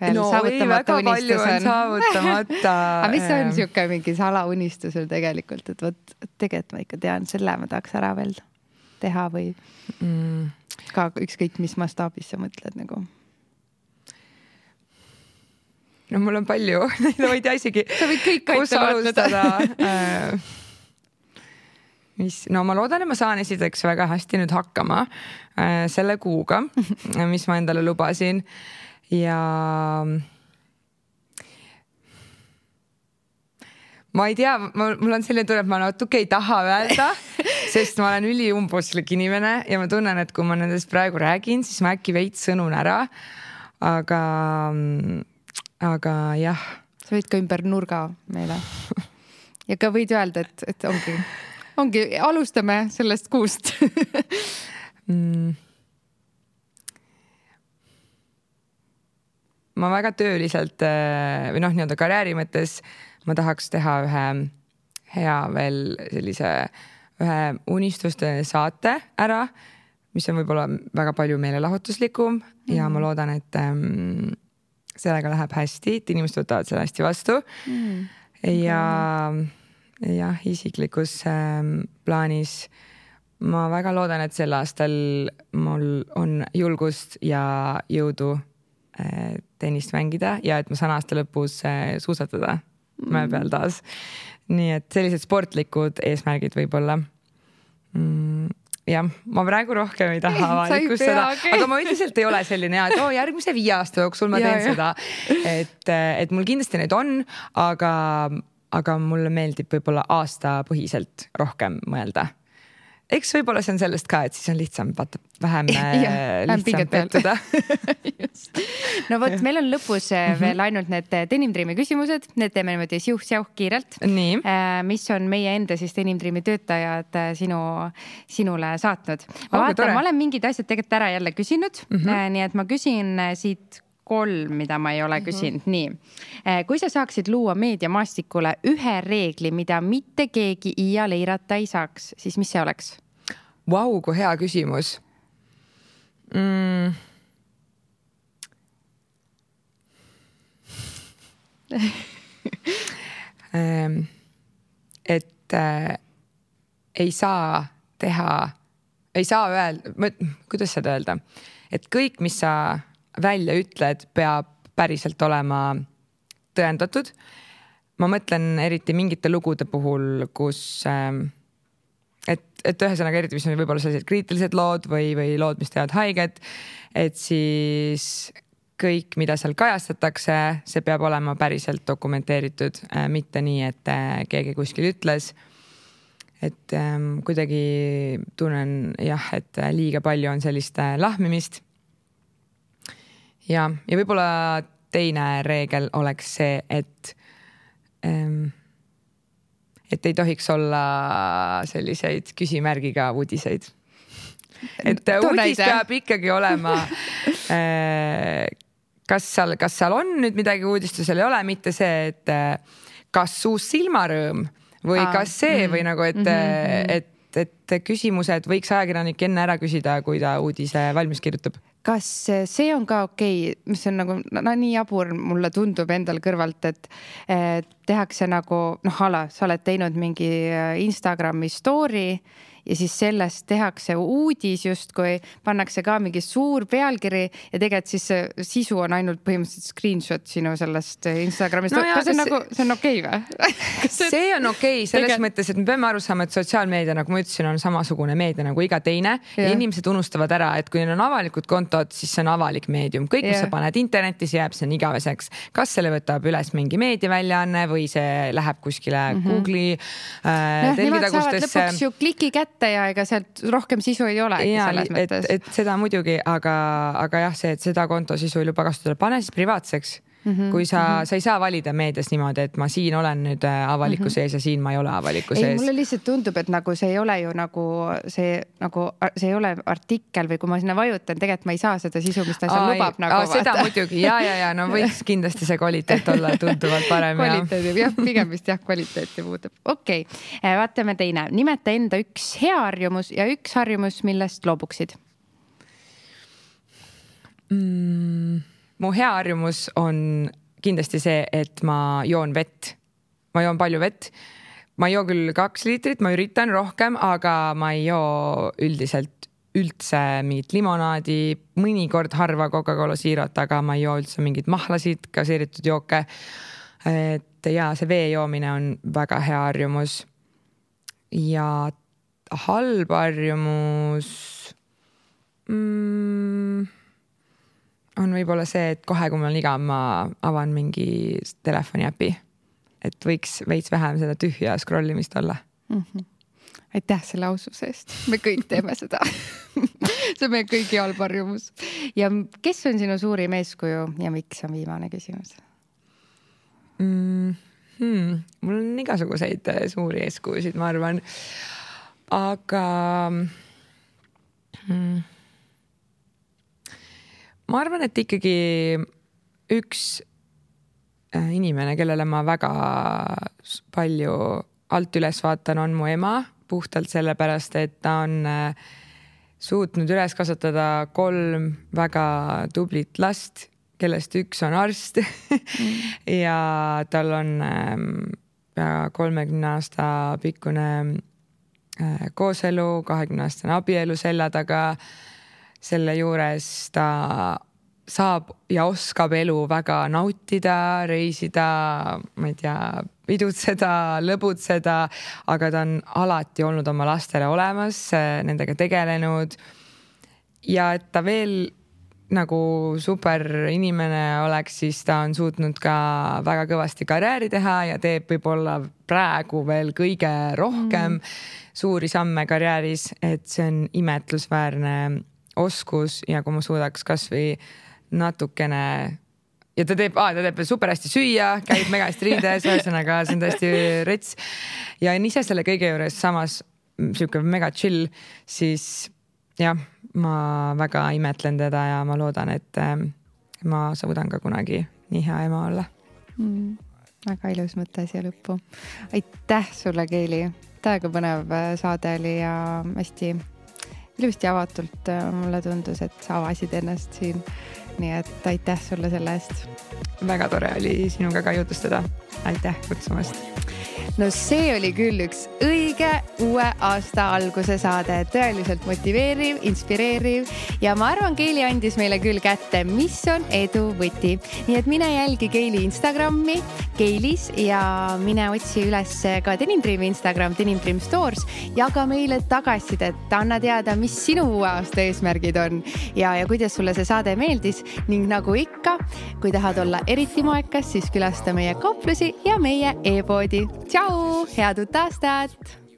väga palju on saavutamata. Aga mis on siuke mingi salaunistusel tegelikult, et võt, tegelikult ma ikka tean, selle ma tahaks ära veel teha või ka ükskõik, mis mastaabis sa mõtled nagu? No mul on palju, ma ei tea isegi, kus alustada. No ma loodan, et ma saan esiteks väga hästi nüüd hakkama selle kuuga, mis ma endale lubasin. Ja ma ei tea, mul on selline tunne, et ma natuke ei taha öelda, sest ma olen üliumbuslik inimene ja ma tunnen, et kui ma nendest praegu räägin, siis ma äkki veits sõnun ära. Aga jah. Sa võid ka ümber nurga meile. Ja ka võid öelda, et ongi, alustame sellest kuust. Ma väga tööliselt või nii-öelda karjääri mõttes ma tahaks teha ühe hea veel sellise ühe unistuste saate ära, mis on võib-olla väga palju meelelahutuslikum ja ma loodan, et sellega läheb hästi, et inimesed võtavad selle hästi vastu. Ja isiklikus plaanis ma väga loodan, et sel aastal mul on julgust ja jõudu tennist mängida ja et ma saan aasta lõpus suusatada mäe peal taas. Nii et sellised sportlikud eesmärgid võib-olla. Jah, ma praegu rohkem ei taha avalikustada, aga ma üldiselt ei ole selline, et järgmise 5 aasta jooksul ma teen seda. Et mul kindlasti need on, aga aga mulle meeldib võib-olla aastapõhiselt rohkem mõelda. Eks võib-olla see on sellest ka, et siis on lihtsam vähem lihtsam pettuda. No võt, meil on lõpus veel ainult need Denim Dreami küsimused, need teeme niimoodi siuh-siuh kiirelt. Nii. Mis on meie enda siis Denim Dreami töötajad sinule saatnud. Ma vaatan, ma olen mingid asjad tegelikult ära jälle küsinud, nii et ma küsin siit 3, mida ma ei ole küsinud. Nii. Kui sa saaksid luua meediamaastikule ühe reegli, mida mitte keegi iial eirata ei saaks, siis mis see oleks? Vau, kui hea küsimus. Et ei saa öelda, kuidas seda öelda, et kõik, mis sa välja ütled, peab päriselt olema tõendatud. Ma mõtlen eriti mingite lugude puhul, kus et ühesõnaga eriti, mis on võib-olla sellised kriitilised lood või lood, mis teevad haiget, et siis kõik, mida seal kajastatakse, see peab olema päriselt dokumenteeritud, mitte nii, et keegi kuskil ütles. Et kuidagi tunnen et liiga palju on sellist lahmimist. Ja võib-olla teine reegel oleks see, et ei tohiks olla selliseid küsimärgiga uudiseid. Et uudis peab ikkagi olema, kas seal on nüüd midagi uudistusel ei ole, mitte see, et kas uus silmarõõm või kas see või nagu, et küsimused võiks ajakirjanik enne ära küsida, kui ta uudise valmis kirjutab. Kas see on ka okei, mis on nagu nii jabur, mulle tundub endal kõrvalt, et tehakse nagu, sa oled teinud mingi Instagrami story ja siis sellest tehakse uudis justkui, pannakse ka mingi suur pealkiri ja tegelikult siis sisu on ainult põhimõtteliselt screenshot sinu sellest Instagramist. No kas see on okei või? See on okei selles mõttes, et me peame aru saama, et sotsiaalmeedia, nagu ma ütlesin, on samasugune meedia nagu iga teine ja inimesed unustavad ära, et kui neil on avalikud kontod, siis see on avalik meedium. Kõik, mis sa paned internetis, jääb see on igaveseks. Kas selle võtab üles mingi meediaväljaanne või see läheb kuskile Google'i telgitagustesse. Lõpuks ju kliki kätte ja ega sealt rohkem sisu ei ole. Et seda muidugi, aga jah, see, et seda konto sisu ei luba kasutada, pane siis privaatseks. Kui sa ei saa valida meedias niimoodi, et ma siin olen nüüd avaliku sees ja siin ma ei ole avaliku sees. Mulle lihtsalt tundub, et nagu see ei ole ju see ei ole artikkel või kui ma sinna vajutan, tegelikult ma ei saa seda sisu, mis ta seal lubab. Seda muidugi, ja, no võiks kindlasti see kvaliteet olla tunduvalt parem. Pigem vist kvaliteeti muutub. Okei, vaatame teine. Nimeta enda üks hea harjumus ja üks harjumus, millest loobuksid. Mu hea harjumus on kindlasti see, et ma joon vett. Ma joon palju vett. Ma ei joo küll 2 liitrit, ma üritan rohkem, aga ma ei joo üldiselt üldse mingit limonaadi, mõnikord harva Coca-Cola Zerot, aga ma ei joo üldse mingid mahlasid, gaseeritud jooke. Et see vee joomine on väga hea harjumus. Ja halb harjumus on võib-olla see, et kohe, kui mul on igav, ma avan mingi telefoni äpi. Et võiks veits vähem seda tühja scrollimist olla. Aitäh selle aususe eest. Me kõik teeme seda. See on meie kõigi halb harjumus. Ja kes on sinu suurim eeskuju ja miks on viimane küsimus? Mul on igasuguseid suuri eeskujusid, ma arvan. Aga ma arvan, et ikkagi üks inimene, kellele ma väga palju alt üles vaatan, on mu ema, puhtalt sellepärast, et ta on suutnud üles kasvatada 3 väga tublit last, kellest üks on arst ja tal on 30 aasta pikkune kooselu, 20-aastane abielu selja taga. Selle juures ta saab ja oskab elu väga nautida, reisida, ma ei tea, pidutseda, lõbutseda, aga ta on alati olnud oma lastele olemas, nendega tegelenud ja et ta veel nagu super inimene oleks, siis ta on suutnud ka väga kõvasti karjääri teha ja teeb võib-olla praegu veel kõige rohkem suuri samme karjääris, et see on imetlusväärne oskus ja kui ma suudaks kasvõi natukene ja ta teeb super hästi süüa, käib mega hästi riides, ühesõnaga see on tõesti rets ja on ise selle kõige juures samas siuke mega chill, siis jah, ma väga imetlen teda ja ma loodan, et ma suudan ka kunagi nii hea ema olla. Väga ilus mõte siia lõppu. Aitäh sulle, Keili. Täiega põnev saade oli ja hästi ilusti avatult mulle tundus, et sa avasid ennast siin. Nii et aitäh sulle selle eest. Väga tore oli sinuga ka jutustada. Aitäh kutsumast. No see oli küll üks õige uue aasta alguse saade, tõeliselt motiveeriv, inspireeriv ja ma arvan, Keili andis meile küll kätte, mis on edu võti. Nii et mine jälgi Keili Instagrami Keilis ja mine otsi üles ka Denim Dreami Instagram, Denim Dream Stores ja ka meile tagasisidet, anna teada, mis sinu uue aasta eesmärgid on ja kuidas sulle see saade meeldis ning nagu ikka, kui tahad olla eriti moekas, siis külasta meie kauplusi ja meie e-poodi. Tšau, head uut aastat!